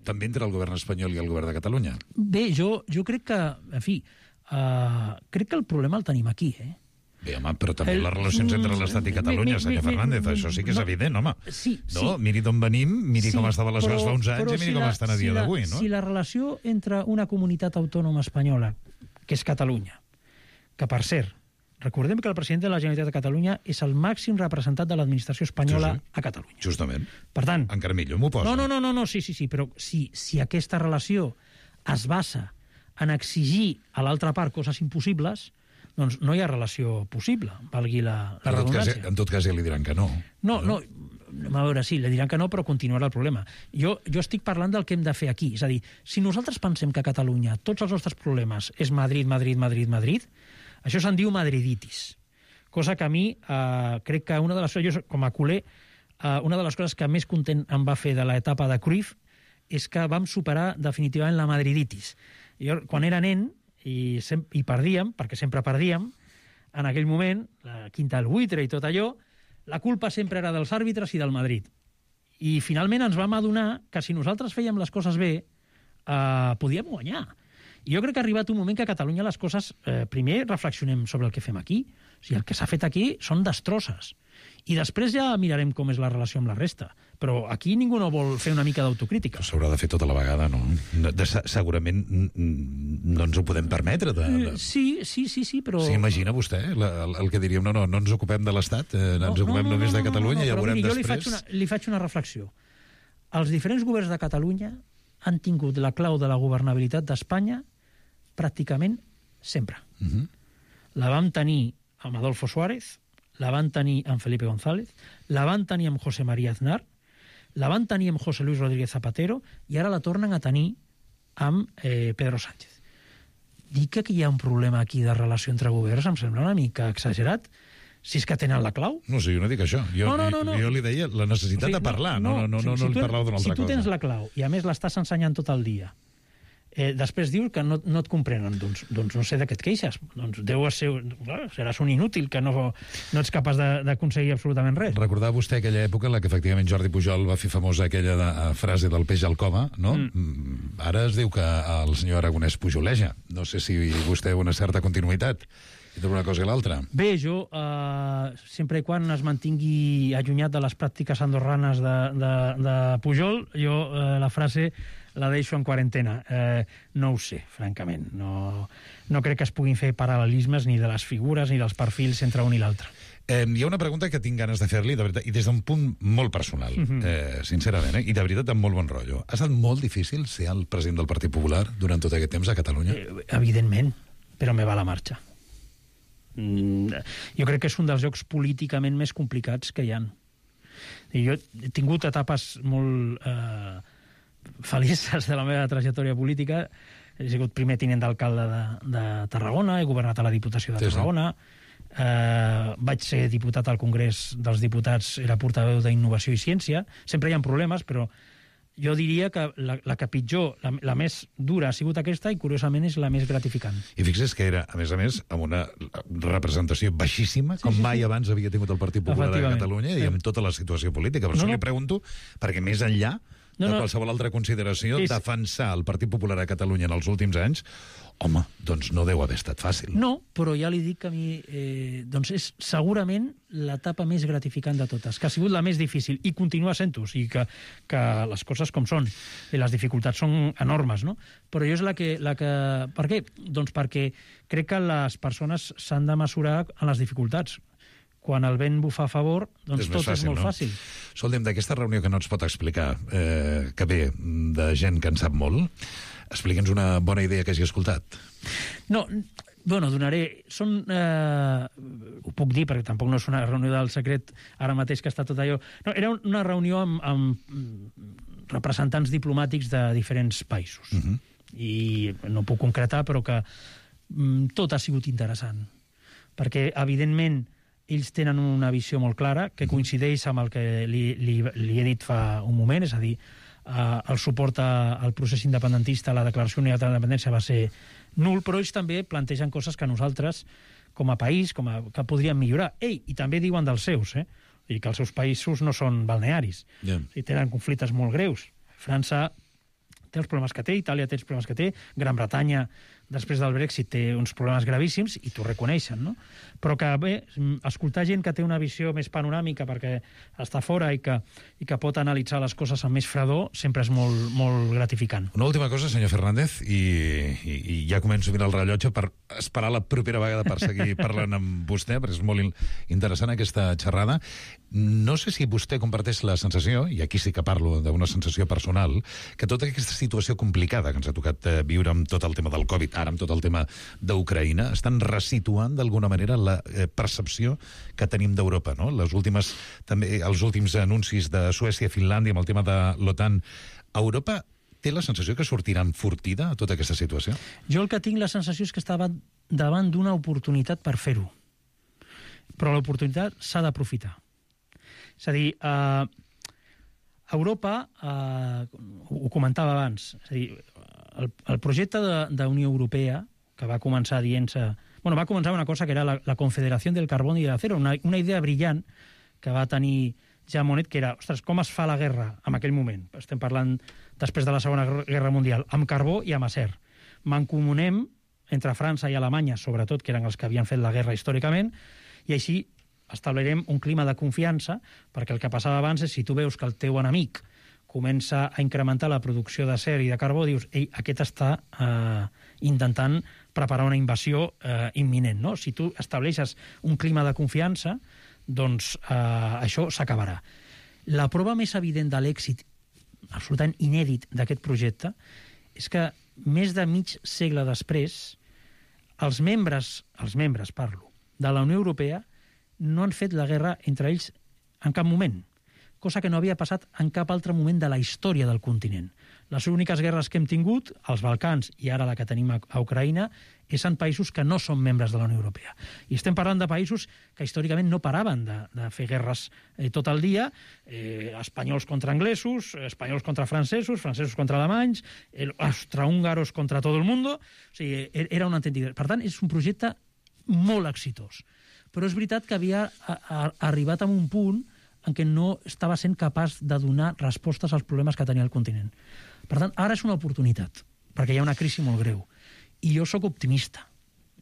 També entre el govern espanyol i el govern de Catalunya? Bé, jo crec que, en fi, crec que el problema el tenim aquí, Bé, home, però també les relacions entre l'Estat i Catalunya, senyor Fernández, això sí que és evident, home. Sí. Miri d'on venim, miri com estaven les coses fa uns anys i miri com estan a dia d'avui, no? Si la relació entre una comunitat autònoma espanyola, que és Catalunya, que, per cert, recordem que el president de la Generalitat de Catalunya és el màxim representant de l'administració espanyola a Catalunya. Justament. Per tant... Encara millor m'ho posa. No, sí, però si aquesta relació es basa en exigir a l'altra part coses impossibles, doncs no hi ha relació possible, valgui la redundància. En tot cas ja li diran que no. No, a veure, sí, li diran que no, però continuarà el problema. Jo estic parlant del que hem de fer aquí. És a dir, si nosaltres pensem que a Catalunya tots els nostres problemes és Madrid, això se'n diu madriditis. Cosa que a mi crec que una de les coses, com a culer, una de les coses que més content em va fer de l'etapa de Cruyff és que vam superar definitivament la madriditis. Jo, quan era nen, i perdíem, perquè sempre perdíem, en aquell moment, la quinta del buitre i tot allò, la culpa sempre era dels àrbitres i del Madrid. I finalment ens vam adonar que si nosaltres fèiem les coses bé, podíem guanyar. I jo crec que ha arribat un moment que a Catalunya les coses, primer reflexionem sobre el que fem aquí. O sigui, el que s'ha fet aquí són destrosses. I després ja mirarem com és la relació amb la resta. Però aquí ningú no vol fer una mica d'autocrítica. S'haurà de fer tota la vegada, no? Segurament no ens ho podem permetre. Sí, però... S'imagina vostè el que diríem, no ens ocupem de l'Estat, ens ocupem només de Catalunya, ja veurem després. Li faig una reflexió. Els diferents governs de Catalunya han tingut la clau de la governabilitat d'Espanya pràcticament sempre. La vam tenir amb Adolfo Suárez, la van tenir amb Felipe González, la van tenir amb José María Aznar, la van tenir amb José Luis Rodríguez Zapatero i ara la tornen a tenir amb Pedro Sánchez. Dir que hi ha un problema aquí de relació entre governs em sembla una mica exagerat, si és que tenen la clau. No sé, jo no dic això. Jo li deia la necessitat de parlar, no li parlava d'una altra cosa. Si tu tens la clau i a més l'estàs ensenyant tot el dia, després dius que no et comprenen, doncs no sé de què et queixes. Doncs seràs un inútil, que no ets capaç d'aconseguir absolutament res. Recordava vostè aquella època en la que efectivament Jordi Pujol va fer famosa aquella frase del peix al cova, no? Ara es diu que el senyor Aragonès pujoleja. No sé si vostè una certa continuïtat entre una cosa i l'altra. Bé, jo, sempre i quan es mantingui allunyat de les pràctiques andorranes de Pujol, jo la frase la deixo en quarantena. No ho sé, francament. No crec que es puguin fer paral·lelismes ni de les figures ni dels perfils entre un i l'altre. Hi ha una pregunta que tinc ganes de fer-li, de veritat, i des d'un punt molt personal, sincerament, i de veritat amb molt bon rotllo. Ha estat molt difícil ser el president del Partit Popular durant tot aquest temps a Catalunya? Evidentment, però me va la marxa. Jo crec que és un dels jocs políticament més complicats que hi ha. Jo he tingut etapes molt felices de la meva trajectòria política. He sigut primer tinent d'alcalde de Tarragona, he governat a la Diputació de Tarragona, vaig ser diputat al Congrés dels Diputats, era portaveu d'Innovació i Ciència. Sempre hi ha problemes, però jo diria que la que pitjor, la més dura ha sigut aquesta i, curiosament, és la més gratificant. I fixes que era, a més, amb una representació baixíssima, com mai abans havia tingut el Partit Popular a Catalunya i amb tota la situació política. Per això li pregunto, perquè més enllà de qualsevol altra consideració, defensar el Partit Popular a Catalunya en els últims anys, home, doncs no deu haver estat fàcil. No, però ja li dic que a mi doncs és segurament l'etapa més gratificant de totes, que ha sigut la més difícil, i continua sent-ho, o sigui que les coses com són, i les dificultats són enormes, no? Però jo és la que... Per què? Doncs perquè crec que les persones s'han de mesurar en les dificultats. Quan el vent bufa a favor, doncs tot és molt fàcil. Escolta'm, d'aquesta reunió que no ens pot explicar, que ve de gent que en sap molt, explica'ns una bona idea que hagi escoltat. No, bueno, donaré... ho puc dir, perquè tampoc no és una reunió del secret ara mateix que està tot allò... No, era una reunió amb representants diplomàtics de diferents països. I no puc concretar, però que tot ha sigut interessant. Perquè, evidentment, ells tenen una visió molt clara, que coincideix amb el que li he dit fa un moment, és a dir, el suport al procés independentista, a la declaració unilateral d'independència va ser nul, però ells també plantegen coses que nosaltres, com a país, que podríem millorar. I també diuen dels seus, i que els seus països no són balnearis. I tenen conflictes molt greus. França té els problemes que té, Itàlia té els problemes que té, Gran Bretanya, després del Brexit, té uns problemes gravíssims, i t'ho reconeixen, no? Però que, bé, escoltar gent que té una visió més panoràmica perquè està fora i que pot analitzar les coses amb més fredor, sempre és molt, molt gratificant. Una última cosa, senyor Fernández, i ja començo a mirar el rellotge per esperar la propera vegada per seguir parlant amb vostè, perquè és molt interessant aquesta xerrada. No sé si vostè comparteix la sensació, i aquí sí que parlo d'una sensació personal, que tota aquesta situació complicada que ens ha tocat viure amb tot el tema del Covid, ara amb tot el tema d'Ucraïna, estan resituant d'alguna manera la percepció que tenim d'Europa, no? També els últims anuncis de Suècia i Finlàndia amb el tema de l'OTAN. Europa té la sensació que sortirà enfortida a tota aquesta situació? Jo el que tinc la sensació és que estava davant d'una oportunitat per fer-ho. Però l'oportunitat s'ha d'aprofitar. És a dir, Europa, ho comentava abans, és a dir, el projecte d'Unió Europea, que va començar dient-se... Bueno, va començar una cosa que era la Confederació del Carbón i de l'Acero, una idea brillant que va tenir Jean Monnet, que era, ostres, com es fa la guerra en aquell moment? Estem parlant després de la Segona Guerra Mundial, amb carbó i amb acer. Mancomunem entre França i Alemanya, sobretot, que eren els que havien fet la guerra històricament, i així establirem un clima de confiança, perquè el que passava abans és, si tu veus que el teu enemic comença a incrementar la producció d'acer i de carbó, dius, ei, aquest està intentant preparar una invasió imminent, no? Si tu estableixes un clima de confiança, doncs això s'acabarà. La prova més evident de l'èxit absolutament inèdit d'aquest projecte és que més de mig segle després els membres parlo, de la Unió Europea no han fet la guerra entre ells en cap moment, cosa que no havia passat en cap altre moment de la història del continent. Les úniques guerres que hem tingut, als Balcans i ara la que tenim a Ucraïna, és en països que no són membres de la Unió Europea. I estem parlant de països que històricament no paraven de fer guerres tot el dia, espanyols contra anglesos, espanyols contra francesos, francesos contra alemanys, austrohúngaros contra tot el món. O sigui, era un entendiment. Per tant, és un projecte molt exitós. Però és veritat que havia arribat a un punt en què no estava sent capaç de donar respostes als problemes que tenia el continent. Per tant, ara és una oportunitat, perquè hi ha una crisi molt greu. I jo sóc optimista,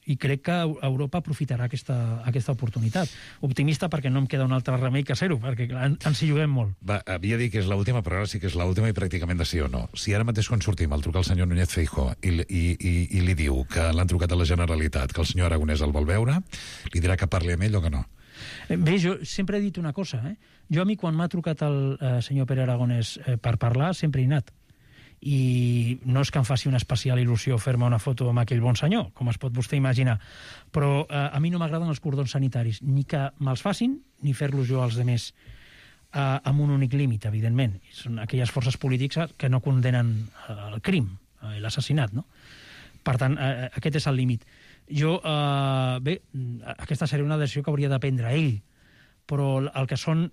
i crec que Europa aprofitarà aquesta oportunitat. Optimista perquè no em queda un altre remei que ser-ho, perquè ens hi juguem molt. Havia dit que és l'última, però ara sí que és l'última i pràcticament de sí o no. Si ara mateix quan sortim el truca el senyor Núñez Feijóo i li diu que l'han trucat a la Generalitat, que el senyor Aragonès el vol veure, li dirà que parli amb ell o que no? Bé, jo sempre he dit una cosa. Jo a mi, quan m'ha trucat el senyor Pere Aragonès per parlar, sempre he anat. I no és que em faci una especial il·lusió fer-me una foto amb aquell bon senyor, com es pot vostè imaginar, però a mi no m'agraden els cordons sanitaris, ni que me'ls facin, ni fer-los jo als demés amb un únic límit, evidentment. Són aquelles forces polítiques que no condenen el crim, l'assassinat, no? Per tant, aquest és el límit. Jo, bé, aquesta seria una decisió que hauria de prendre ell, però el que són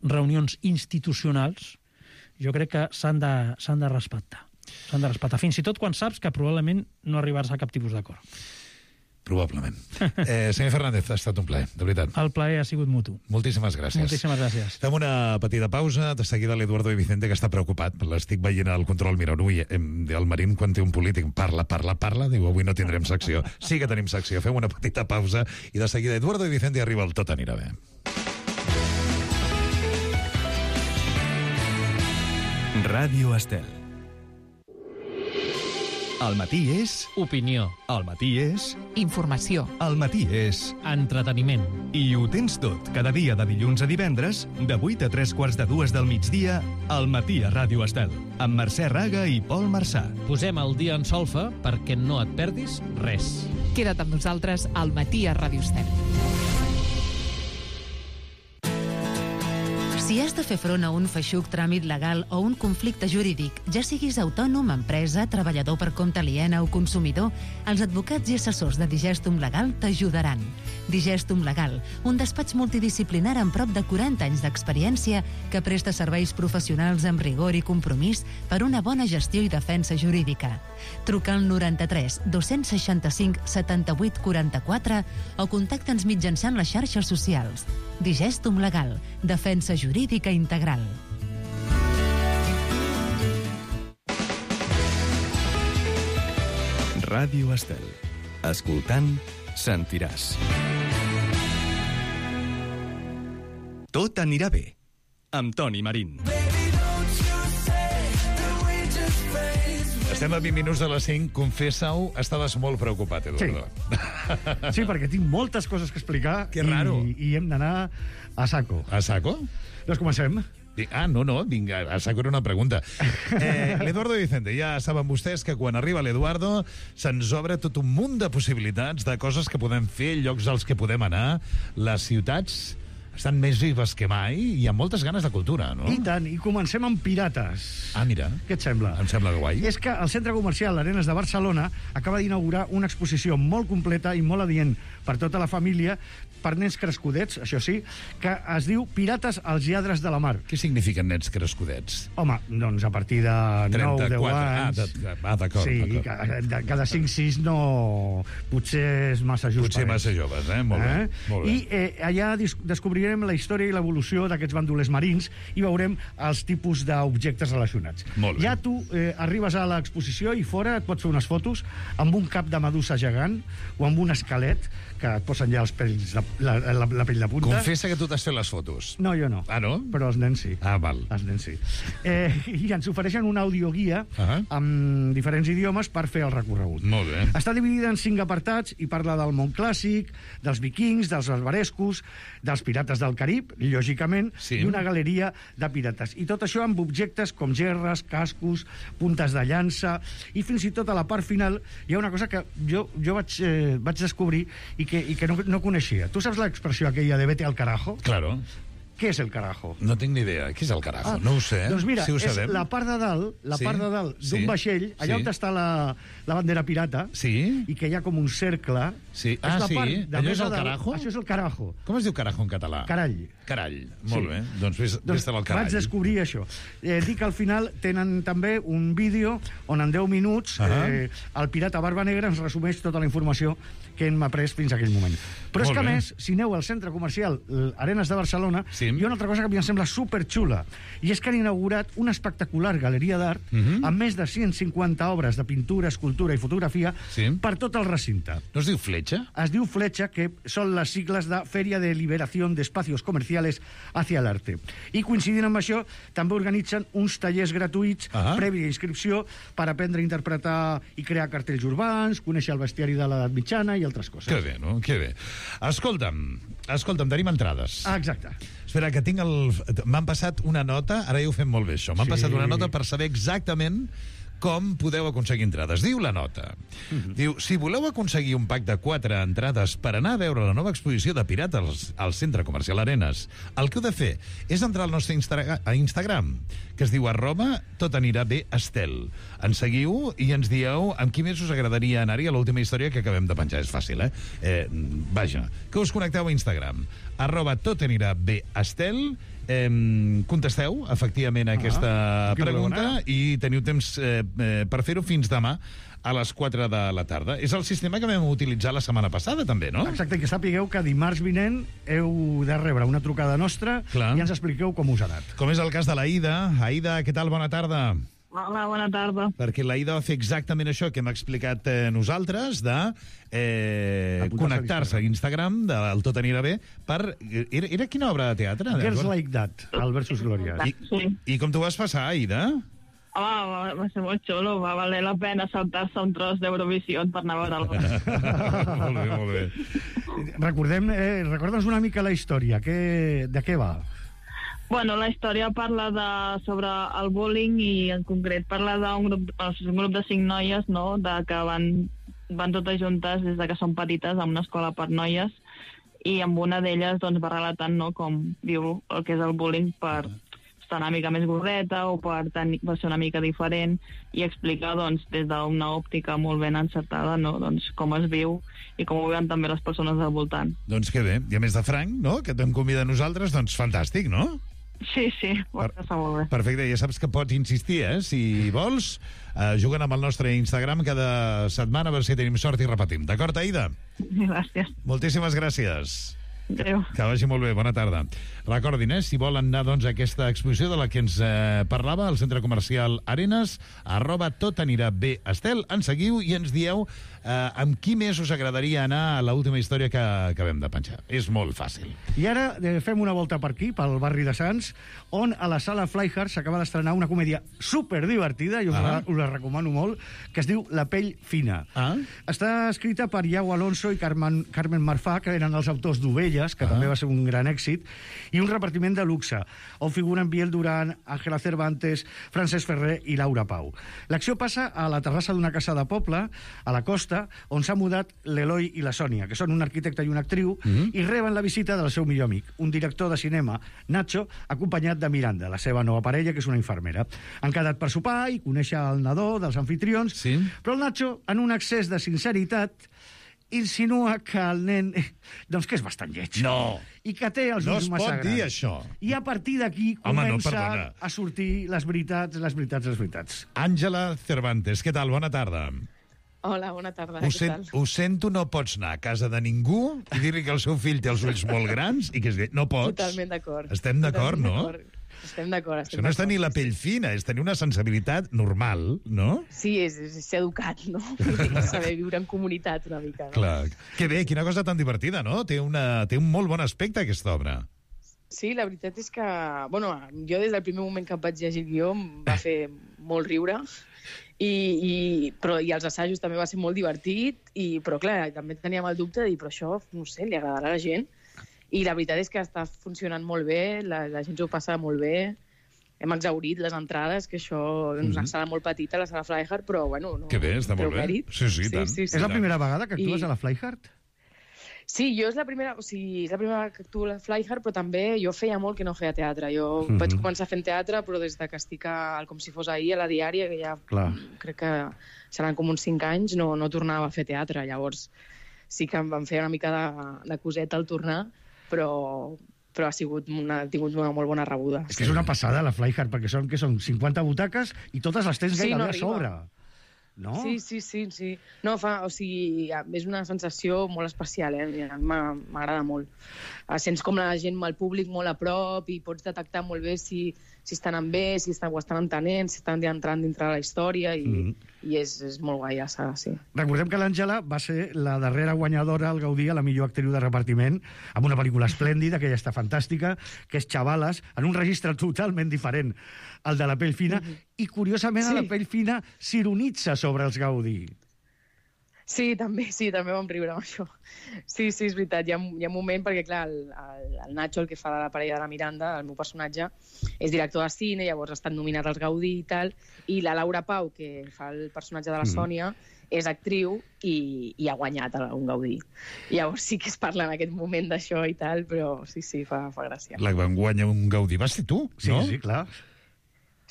reunions institucionals, jo crec que s'han de respectar. S'han de respectar, fins i tot quan saps que probablement no arribaràs a cap tipus d'acord. Probablement. Senyor Fernández, ha estat un plaer, de veritat. El plaer ha sigut mutu. Moltíssimes gràcies. Moltíssimes gràcies. Fem una petita pausa. De seguida l'Eduardo de Vicente, que està preocupat. L'estic veient al control. Mira, ui, el Marín, quan té un polític, parla, diu, avui no tindrem secció. Sí que tenim secció. Fem una petita pausa i de seguida Eduardo de Vicente arriba el Tot anirà bé. Ràdio Estel. Al matí és... Opinió. Al matí és... Informació. Al matí és... Entreteniment. I ho tens tot, cada dia de dilluns a divendres, de 8 a 3:45 del migdia, al matí a Ràdio Estel, amb Mercè Raga i Pol Marçà. Posem el dia en solfa perquè no et perdis res. Queda't amb nosaltres al matí a Ràdio Estel. Si has de fer front a un feixuc tràmit legal o un conflicte jurídic, ja siguis autònom, empresa, treballador per compte aliena o consumidor, els advocats i assessors de Digestum Legal t'ajudaran. Digestum Legal, un despatx multidisciplinar amb prop de 40 anys d'experiència que presta serveis professionals amb rigor i compromís per una bona gestió i defensa jurídica. Truca al 93 265 78 44 o contacta'ns mitjançant les xarxes socials. Digestum Legal, defensa jurídica integral. Ràdio Estel. Escoltant, sentiràs. Tot anirà bé, amb Toni Marín. Estem a 20 minuts de les 5. Confessa-ho, estaves molt preocupat, Eduardo. Sí, perquè tinc moltes coses que explicar. Que raro. I hem d'anar a saco. A saco? Doncs comencem. No, vinga, a saco era una pregunta. L'Eduardo Vicente, ja saben vostès que quan arriba l'Eduardo se'ns obre tot un munt de possibilitats, de coses que podem fer, llocs als que podem anar. Les ciutats estan més vives que mai i hi ha moltes ganes de cultura, no? I tant, i comencem amb pirates. Mira. Què et sembla? Em sembla guai. És que el centre comercial Arenas de Barcelona acaba d'inaugurar una exposició molt completa i molt adient per tota la família, per nens crescudets, això sí, que es diu Pirates als lladres de la mar. Què signifiquen nens crescudets? Home, doncs a partir de 9 o 10 anys... D'acord. Sí, cada 5-6 no... Potser és massa just. Potser massa joves, Molt bé. Molt bé. I allà descobrirem la història i l'evolució d'aquests bandolers marins i veurem els tipus d'objectes relacionats. Molt bé. Ja tu arribes a l'exposició i fora et pots fer unes fotos amb un cap de medusa gegant o amb un esquelet que et posen ja els pells, la pell de punta. Confessa que tu t'has fet les fotos. No, jo no. No? Però els nens sí. Val. Els nens sí. I ens ofereixen una audioguia amb diferents idiomes per fer el recorregut. Molt bé. Està dividida en 5 apartats i parla del món clàssic, dels vikings, dels barbarescos, dels pirates del Carib, lògicament, i una galeria de pirates. I tot això amb objectes com gerres, cascos, puntes de llança, i fins i tot a la part final hi ha una cosa que jo vaig descobrir i que no coneixia. Tu saps l'expressió aquella de vete al carajo? Claro. Què és el carajo? No tinc ni idea. Què és el carajo? No ho sé. Doncs mira, si ho és sabem. la part de dalt d'un vaixell, allà on està la bandera pirata, i que hi ha com un cercle. Sí. Allò és el carajo? Això és el carajo. Com es diu carajo en català? Carall. Carall. Molt bé. Doncs vés-te'l al carall. Vaig descobrir això. Dic que al final tenen també un vídeo on en 10 minuts el pirata Barba Negra ens resumeix tota la informació que hem après fins a aquell moment. Però és que, a més, si aneu al centre comercial Arenas de Barcelona, hi ha una altra cosa que a mi em sembla superxula, i és que han inaugurat una espectacular galeria d'art amb més de 150 obres de pintura, escultura i fotografia per tot el recinte. No es diu Fletxa? Es diu Fletxa, que són les sigles de Feria de Liberación de Espacios Comerciales hacia el Arte. I coincidint amb això, també organitzen uns tallers gratuïts prèvia inscripció per aprendre a interpretar i crear cartells urbans, conèixer el bestiari de l'edat mitjana i altres coses. Que bé, no? Que bé. Escolta'm, tenim entrades. Exacte. Espera, que tinc m'han passat una nota, ara ja ho fem molt bé, això. M'han passat una nota per saber exactament com podeu aconseguir entrades. Diu la nota. Diu, si voleu aconseguir un pack de 4 entrades per anar a veure la nova exposició de pirates al Centre Comercial Arenas, el que heu de fer és entrar al nostre Instagram, que es diu @totanirabestel. Ens seguiu i ens dieu amb qui més us agradaria anar-hi a l'última història que acabem de penjar. És fàcil, Vaja, que us connecteu a Instagram, @totanirabestel, Contesteu, efectivament, a aquesta pregunta i teniu temps per fer-ho fins demà a les 4 de la tarda. És el sistema que vam utilitzar la setmana passada, també, no? Exacte, que sapigueu que dimarts vinent heu de rebre una trucada nostra i ens expliqueu com us ha anat. Com és el cas de l'Aida. Aida, què tal? Bona tarda. Hola, bona tarda. Perquè l'Aida va fer exactament això que hem explicat nosaltres, de connectar-se a Instagram del Tot anirà bé per... Era quina obra de teatre? Girls Like That, Albert Sus Glòries. I com t'ho vas passar, Aida? Home, va ser molt xulo, va valer la pena saltar-se un tros d'Eurovisió per anar a veure-lo. Molt bé, molt bé. Recorda'ns una mica la història, de què va? Bueno, la història parla sobre el bullying i en concret parla d'un grup de 5 noies, no?, que van totes juntes des que són petites a una escola per noies i amb una d'elles doncs, va relatant, no?, com viu el que és el bullying per estar una mica més gordeta o per ser una mica diferent i explicar doncs, des d'una òptica molt ben encertada, no?, doncs, com es viu i com ho veuen també les persones al voltant. Doncs que bé, i a més de Frank, no?, que t'hem convidat a nosaltres, doncs fantàstic, no? Sí, va passar molt bé. Perfecte, ja saps que pots insistir, si vols, juguen amb el nostre Instagram cada setmana a veure si tenim sort i repetim. D'acord, Aida? Gràcies. Moltíssimes gràcies. Adéu. Que vagi molt bé, bona tarda. Recordin, si volen anar doncs, a aquesta exposició de la que ens parlava, al centre comercial Arenas, @totanirabé. Estel, ens seguiu i ens dieu amb qui més us agradaria anar a l'última història que acabem de penjar. És molt fàcil. I ara fem una volta per aquí, pel barri de Sants, on a la sala Flyhard s'acaba d'estrenar una comèdia superdivertida, i us la recomano molt, que es diu La pell fina. Està escrita per Iago Alonso i Carmen Marfà, que eren els autors d'Ovelles, que també va ser un gran èxit, i un repartiment de luxe, on figuren Biel Duran, Ángela Cervantes, Francesc Ferrer i Laura Pau. L'acció passa a la terrassa d'una casa de poble, a la costa, on s'ha mudat l'Eloi i la Sònia, que són un arquitecte i una actriu, i reben la visita del seu millor amic, un director de cinema, Nacho, acompanyat de Miranda, la seva nova parella, que és una infermera. Han quedat per sopar i conèixer el nadó dels anfitrions, però el Nacho, en un excés de sinceritat, insinua que el nen, doncs que és bastant lleig. No. I que té els ulls massa grans. No es pot dir això. I a partir d'aquí comença a sortir les veritats. Àngela Cervantes, què tal? Bona tarda. Hola, bona tarda. Què tal? Ho sento, no pots anar a casa de ningú i dir-li que el seu fill té els ulls molt grans i que és lleig. No pots. Totalment d'acord. Estem d'acord, no? Estem d'acord. Això no és tenir la pell fina, és tenir una sensibilitat normal, no? Sí, és ser educat, no? Saber viure en comunitat una mica, no? Clar. Que bé, quina cosa tan divertida, no? Té un molt bon aspecte, aquesta obra. Sí, la veritat és que... Bueno, jo des del primer moment que vaig llegir el guió em va fer molt riure i els assajos també va ser molt divertit, però clar, també teníem el dubte de dir, però això, no sé, li agradarà a la gent? I la veritat és que està funcionant molt bé, la gent s'ho passa molt bé, hem exhaurit les entrades, que això és una sala molt petita, la sala Flyhard, però bueno... Que bé, està molt bé. Sí, tant. És la primera vegada que actues a la Flyhard? Sí, jo és la primera que actuo a la Flyhard, però també jo feia molt que no feia teatre. Jo vaig començar fent teatre, però des que estic com si fos ahir a la Diària, que ja crec que seran com uns 5 anys, no tornava a fer teatre. Llavors sí que em van fer una mica de coseta al tornar, però ha tingut una molt bona rebuda. És que és una passada, la Flyhard, perquè són 50 butaques i totes les tens gairebé a sobre. No? Sí. No, és una sensació molt especial, m'agrada molt. Sents com la gent, el públic molt a prop i pots detectar molt bé si estan bé, si ho estan entenent, si estan entrant dintre de la història i és molt guai la saga, sí. Recordem que l'Àngela va ser la darrera guanyadora al Gaudí a la millor actriu de repartiment amb una pel·lícula esplèndida, que ja està fantàstica, que és Xavales, en un registre totalment diferent al de La pell fina, i curiosament a La pell fina s'ironitza sobre els Gaudí. Sí, també vam riure amb això. Sí, és veritat, hi ha un moment, perquè clar, el Nacho, el que fa la parella de la Miranda, el meu personatge, és director de cine, llavors ha estat nominat als Gaudí i tal, i la Laura Pau, que fa el personatge de la Sònia, és actriu i ha guanyat un Gaudí. Llavors sí que es parla en aquest moment d'això i tal, però sí, fa gràcia. La van guanyar un Gaudí. Vas ser tu, no? Sí, clar.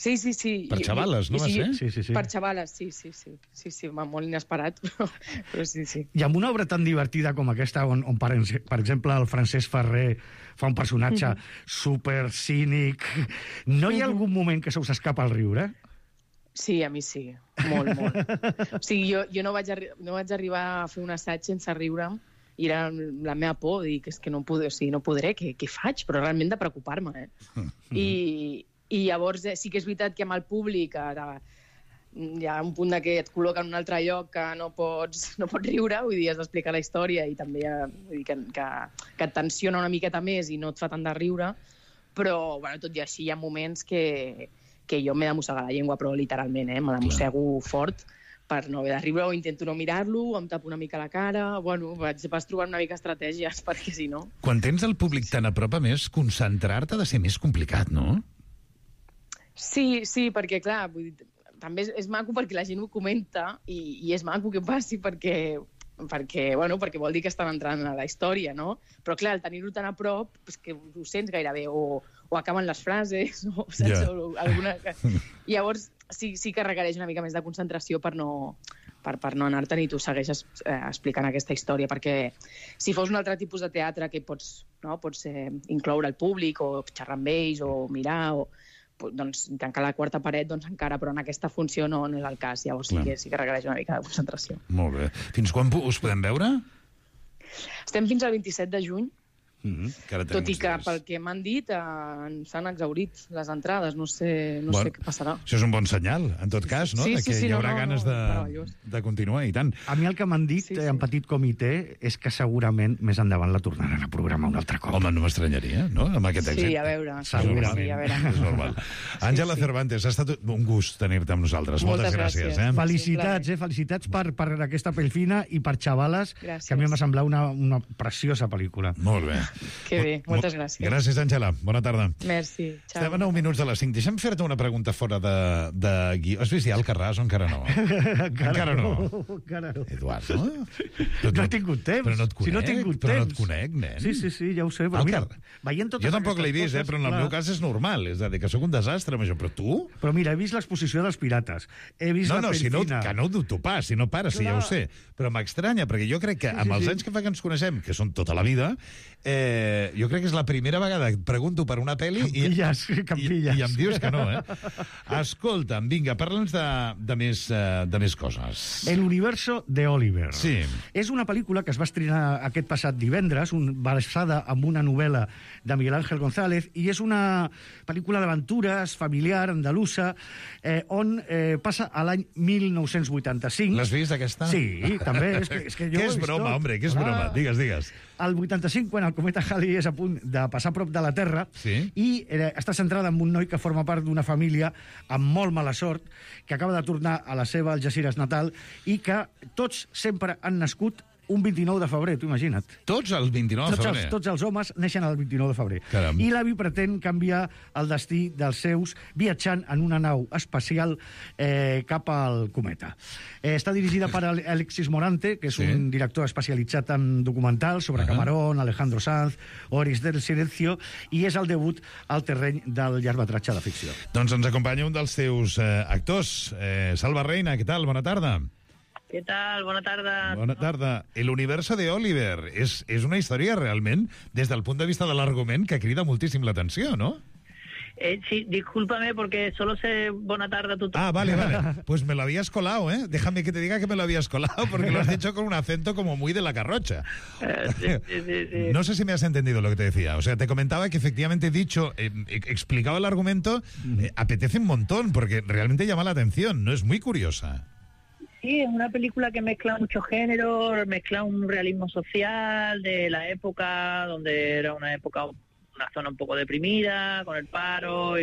Sí. Per xavales, no va ser? Sí. Per xavales, sí, molt inesperat, però sí. I amb una obra tan divertida com aquesta, on per exemple, el Francesc Ferrer fa un personatge super cínic, no hi ha algun moment que se us escapa el riure? Sí, a mi sí, molt. O sigui, jo no vaig arribar a fer un assaig sense riure, i era la meva por, dir que és que no podré, què faig? Però realment de preocupar-me, I llavors sí que és veritat que amb el públic hi ha un punt que et col·loca en un altre lloc que no pots riure, vull dir, has d'explicar la història i també vull dir, que et tensiona una miqueta més i no et fa tant de riure, però tot i així hi ha moments que jo m'he de mossegar la llengua, però literalment, me la mossego fort per no haver de riure, o intento no mirar-lo, o em tapo una mica la cara, vas trobant una mica estratègies, perquè si no... Quan tens el públic tan a prop, a més, concentrar-te ha de ser més complicat, no? Sí, perquè, clar, vull dir, també és maco perquè la gent ho comenta i és maco que passi perquè vol dir que estan entrant a la història, no? Però, clar, al tenir-ho tan a prop, és que ho sents gairebé, o acaben les frases, o saps? O alguna... I llavors sí que requereix una mica més de concentració per no anar-te'n i tu segueixes explicant aquesta història, perquè si fos un altre tipus de teatre que pots incloure el públic o xerrar amb ells o mirar doncs tancar la quarta paret, doncs encara, però en aquesta funció no és el cas, llavors sí que requereix una mica de concentració. Molt bé. Fins quan us podem veure? Estem fins al 27 de juny, tot i que pel que m'han dit s'han exhaurit les entrades, no sé què passarà. Això és un bon senyal, en tot cas, no? Que hi haurà ganes de continuar, i tant. A mi el que m'han dit en petit comitè és que segurament més endavant la tornaran a programar un altre cop. Home, no m'estranyaria, no? Amb aquest èxit. Sí, a veure. Segurament. És normal. Àngela Cervantes, ha estat un gust tenir-te amb nosaltres. Moltes gràcies. Felicitats per aquesta pell fina i per Xavales, que a mi m'ha semblat una preciosa pel·lícula. Molt bé. Que bé, moltes gràcies. Gràcies, Àngela. Bona tarda. Merci. Ciao. Estem a 9 minuts de les 5. Deixa'm fer-te una pregunta fora de guió. Has vist ja Alcarràs o encara no? Encara no. Eduard, no? No he tingut temps. Però no et conec. Si no he tingut temps. Però no et conec, nen. Sí, ja ho sé. Però mira, jo tampoc l'he vist, però en el meu cas és normal. És a dir, que sóc un desastre amb això. Però tu? Però mira, he vist l'exposició dels pirates. He vist la Pelfina. Que no ho dubto pas, si no pares, si ja ho sé. Però m'estranya, perquè jo crec que amb els anys que fa que ens coneixem, que són tota la vida, jo crec que és la primera vegada que et pregunto per una pel·li i em dius que no, Escolta'm, vinga, parla'ns de més coses. El universo de Oliver. Sí. És una pel·lícula que es va estrenar aquest passat divendres, basada en una novel·la de Miguel Ángel González, i és una pel·lícula d'aventures familiar, andalusa, on passa a l'any 1985. L'has vist, aquesta? Sí, també. És que jo què és broma, hombre, què és broma? Digues. Al 85, quan el cometa Halley és a punt de passar a prop de la Terra, i està centrada en un noi que forma part d'una família amb molt mala sort, que acaba de tornar a la seva Algeciras natal i que tots sempre han nascut un 29 de febrer, t'ho imagina't. Tots el 29 de febrer? Tots els homes neixen el 29 de febrer. Caram. I l'avi pretén canviar el destí dels seus viatjant en una nau espacial cap al cometa. Està dirigida per Alexis Morante, que és un director especialitzat en documentals sobre Camarón, Alejandro Sanz, Oris del Silencio, i és el debut al terreny del llargmetratge de ficció. Doncs ens acompanya un dels seus actors, Salva Reina. Què tal? Bona tarda. ¿Qué tal? Bona tarda. Bona tarda. El universo de Oliver és una història realment, des del punt de vista de l'argument, que crida moltíssim l'atenció, ¿no? Sí, discúlpame porque solo sé bona tarda tu. Ah, vale. Pues me lo habías colado, ¿eh? Déjame que te diga que me lo habías colado, porque lo has dicho con un acento como muy de la Garrocha. Sí. No sé si me has entendido lo que te decía. O sea, te comentaba que efectivamente dicho, explicaba el argumento, apetece un montón, porque realmente llama la atención, ¿no? Es muy curiosa. Sí, es una película que mezcla muchos géneros, mezcla un realismo social de la época, donde era una zona un poco deprimida, con el paro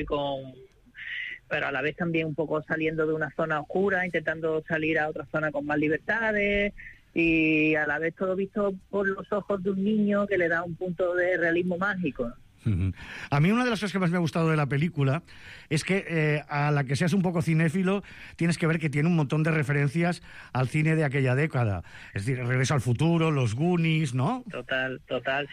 pero a la vez también un poco saliendo de una zona oscura, intentando salir a otra zona con más libertades, y a la vez todo visto por los ojos de un niño que le da un punto de realismo mágico. A mí una de las cosas que más me ha gustado de la película es que a la que seas un poco cinéfilo tienes que ver que tiene un montón de referencias al cine de aquella década, es decir, Regreso al futuro, Los Goonies, ¿no? Total,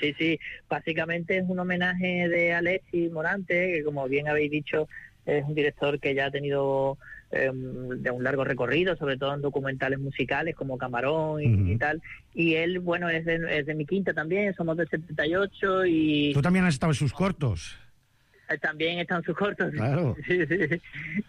sí. Básicamente es un homenaje de Alexis Morante, que como bien habéis dicho es un director que ya ha tenido de un largo recorrido, sobre todo en documentales musicales como Camarón y tal. Y él, bueno, es de mi quinta también, somos del 78 y... Tú también has estado en sus cortos. También están sus cortos. Claro. Sí.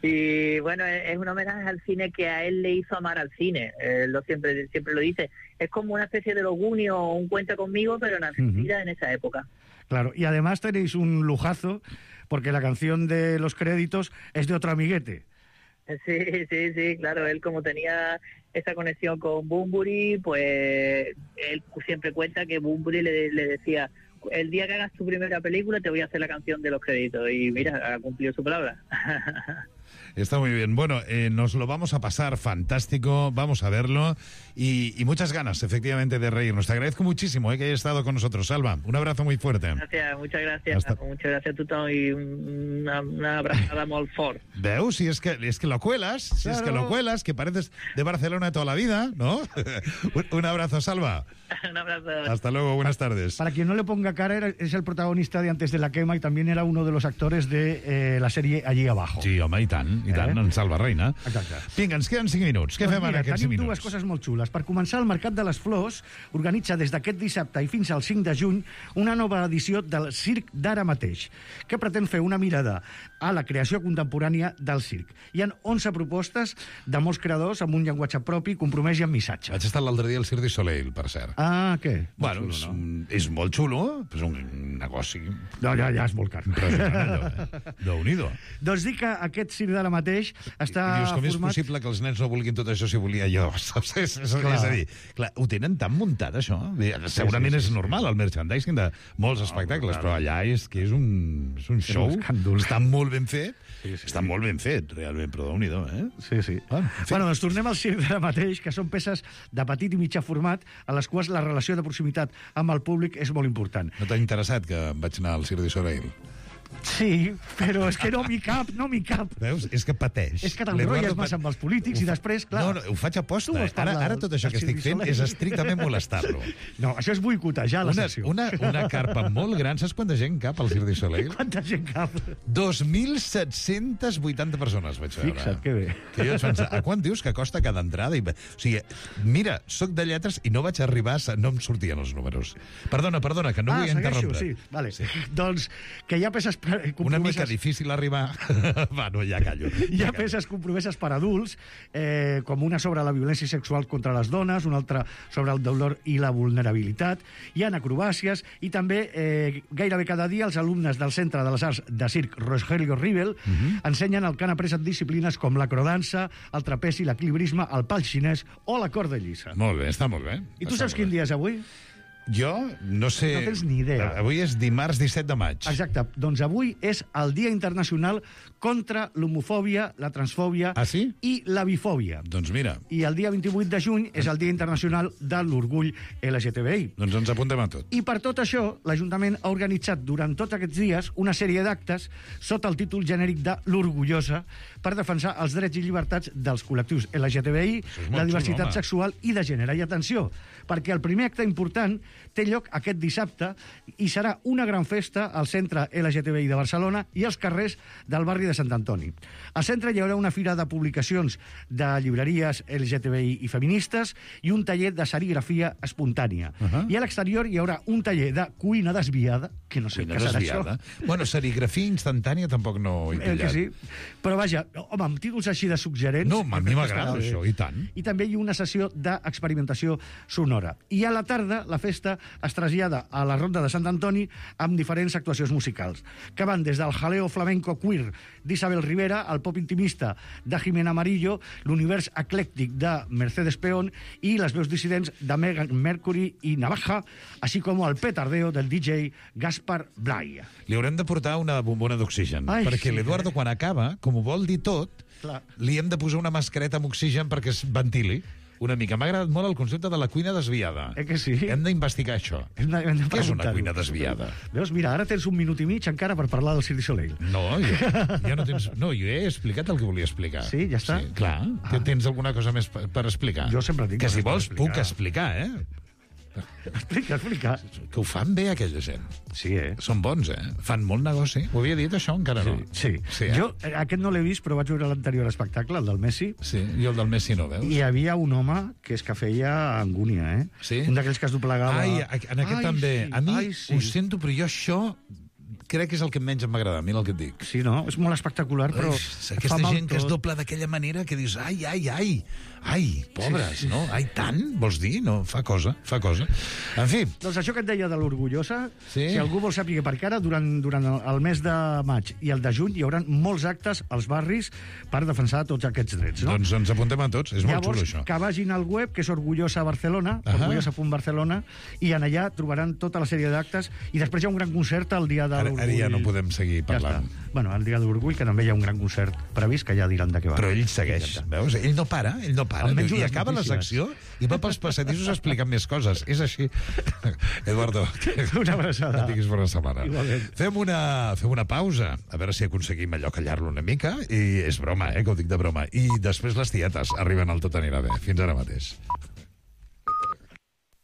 Y bueno, es un homenaje al cine que a él le hizo amar al cine. Él siempre lo dice. Es como una especie de Los Goonies o un Cuenta conmigo, pero en Argentina en esa época. Claro, y además tenéis un lujazo, porque la canción de los créditos es de otro amiguete. Sí, claro. Él, como tenía esa conexión con Bunbury, pues él siempre cuenta que Bunbury le decía: el día que hagas tu primera película te voy a hacer la canción de los créditos. Y mira, ha cumplido su palabra. Está muy bien. Bueno, nos lo vamos a pasar fantástico, vamos a verlo y muchas ganas, efectivamente, de reírnos. Te agradezco muchísimo que hayas estado con nosotros, Salva. Un abrazo muy fuerte. Gracias, muchas gracias. Muchas gracias a tothom y una abrazada molt fort. Veus, si es que lo cuelas, claro. Si es que lo cuelas, que pareces de Barcelona toda la vida, ¿no? Un abrazo, Salva. Un abrazo. Hasta luego, buenas tardes. Para quien no le ponga cara, es el protagonista de Antes de la quema y también era uno de los actores de la serie Allí abajo. Sí, home, i tant, en Salva Reina. Exacte. Vinga, ens queden 5 minuts. Què fem en aquests 5 minuts? Tenim dues coses molt xules. Per començar, el Mercat de les Flors organitza des d'aquest dissabte i fins al 5 de juny una nova edició del Circ d'ara mateix, que pretén fer una mirada a la creació contemporània del circ. Hi ha 11 propostes de molts creadors amb un llenguatge propi, compromès i amb missatge. Vaig estar l'altre dia al Cirque du Soleil, per cert. Ah, què? Bueno, és molt xulo, és un negoci... No, ja és molt car. Déu-n'hi-do. Doncs dic que aquest circ d'ara mateix està dius, com format... és possible que els nens no vulguin tot això si volia jo? És a dir, clar, ho tenen tan muntat, això. Segurament és normal, el merchandising de molts espectacles, però allà és que és un show. Està molt ben fet. Està molt ben fet, realment, però Déu-n'hi-do, Sí. Bueno, doncs tornem al circ d'ara mateix, que són peces de petit i mitjà format, a les quals la relació de proximitat amb el públic és molt important. No t'ha interessat que vaig anar al Cirque du Soleil? Sí, però és que no m'hi cap. Veus? És que pateix. És que t'enrotlles massa amb els polítics i després, clar... No, ho faig a posta. Ara tot això que estic fent és estrictament molestar-lo. No, això és boicotejar la secció. Una carpa molt gran. Saps quanta gent cap al Cirque du Soleil? Quanta gent cap? 2.780 persones vaig veure. Fixa't, que bé. Que jo vaig pensar, a quant dius que costa cada entrada? O sigui, mira, soc de lletres i no vaig arribar, no em sortien els números. Perdona, que no vull interrompre. Sí, vale. Doncs que hi ha peces una mica difícil arribar... Va, no, ja callo. Hi ha peces compromeses per adults, com una sobre la violència sexual contra les dones, una altra sobre el dolor i la vulnerabilitat. Hi ha acrobàcies i també gairebé cada dia els alumnes del Centre de les Arts de Circ Rogelio Rivel ensenyen el que han après en disciplines com l'acrodansa, el trapezi, l'equilibrisme, el pal xinès o la corda llisa. Molt bé, està molt bé. I tu saps quin dia és avui? Jo no sé... No tens ni idea. Avui és dimarts 17 de maig. Exacte. Doncs avui és el Dia Internacional contra l'homofòbia, la transfòbia i la bifòbia. Doncs mira. I el dia 28 de juny és el Dia Internacional de l'Orgull LGTBI. Doncs ens apuntem a tot. I per tot això, l'Ajuntament ha organitzat durant tots aquests dies una sèrie d'actes sota el títol genèric de l'Orgullosa per defensar els drets i llibertats dels col·lectius LGTBI, la diversitat sexual i de gènere. I atenció, perquè el primer acte important té lloc aquest dissabte i serà una gran festa al Centre LGTBI de Barcelona i als carrers del barri de Sant Antoni. Al centre hi haurà una fira de publicacions de llibreries LGTBI i feministes i un taller de serigrafia espontània. I a l'exterior hi haurà un taller de cuina desviada, que no sé què serà això. Bueno, serigrafia instantània tampoc no he pillat. Que sí. Però vaja, home, amb títols així de suggerents... No, a mi m'agrada això, i tant. I també hi ha una sessió d'experimentació sonora. I a la tarda la festa es trasllada a la Ronda de Sant Antoni amb diferents actuacions musicals, que van des del jaleo flamenco queer d'Isabel Rivera, al pop intimista de Jimena Amarillo, l'univers eclèctic de Mercedes Peón i les veus dissidents de Megan Mercury i Navaja, així com el petardeo del DJ Gaspar Blay. Li haurem de portar una bombona d'oxigen, perquè l'Eduardo, quan acaba, com ho vol dir tot, li hem de posar una mascareta amb oxigen perquè es ventili. Una mica. M'ha agradat molt el concepte de la cuina desviada. Que sí? Hem d'investigar això. Què és una cuina desviada? Veus, mira, ara tens 1 minut i mig encara per parlar del Cirque du Soleil. No, ja no tens... No, jo he explicat el que volia explicar. Sí, ja està? Sí, clar. Tens alguna cosa més per explicar? Jo sempre tinc que si vols puc explicar, Explica. Que ho fan bé, aquella gent. Sí, Són bons, Fan molt negoci. Ho havia dit, això? Encara no. Sí. Jo aquest no l'he vist, però vaig veure l'anterior espectacle, el del Messi. Sí, jo el del Messi no, veus? I hi havia un home que és que feia angúnia, Sí? Un d'aquells que es doblegava... Ai, en aquest també. A mi ho sento, però jo això... crec que és el que menys m'agrada, mira el que et dic. Sí, no? És molt espectacular, però... Aquesta gent que es dobla d'aquella manera que dius, ai, pobres, no? Ai, tant, vols dir? No, fa cosa. En fi. Doncs això que et deia de l'Orgullosa, si algú vol saber perquè ara, durant el mes de maig i el de juny, hi haurà molts actes als barris per defensar tots aquests drets, no? Doncs ens apuntem a tots, és molt xulo, això. Llavors, que vagin al web, que és Orgullosa Barcelona, orgullosa.barcelona, i en allà trobaran tota la sèrie d'actes, i després hi ha un gran concert el dia de l'Orgull. Ara ja no podem seguir parlant. Bueno, el dia de l'Orgull, que també hi ha un gran concert previst, que ja diran de què va. Però ell segueix, veus? Ell no para. I acaba la secció i va pels passadissos explicant més coses. És així. Eduardo, una abraçada. No tinguis bona setmana. Fem una pausa, a veure si aconseguim allò callar-lo una mica, i és broma, que ho dic de broma. I després les tietes arriben al Tot anirà bé. Fins ara mateix.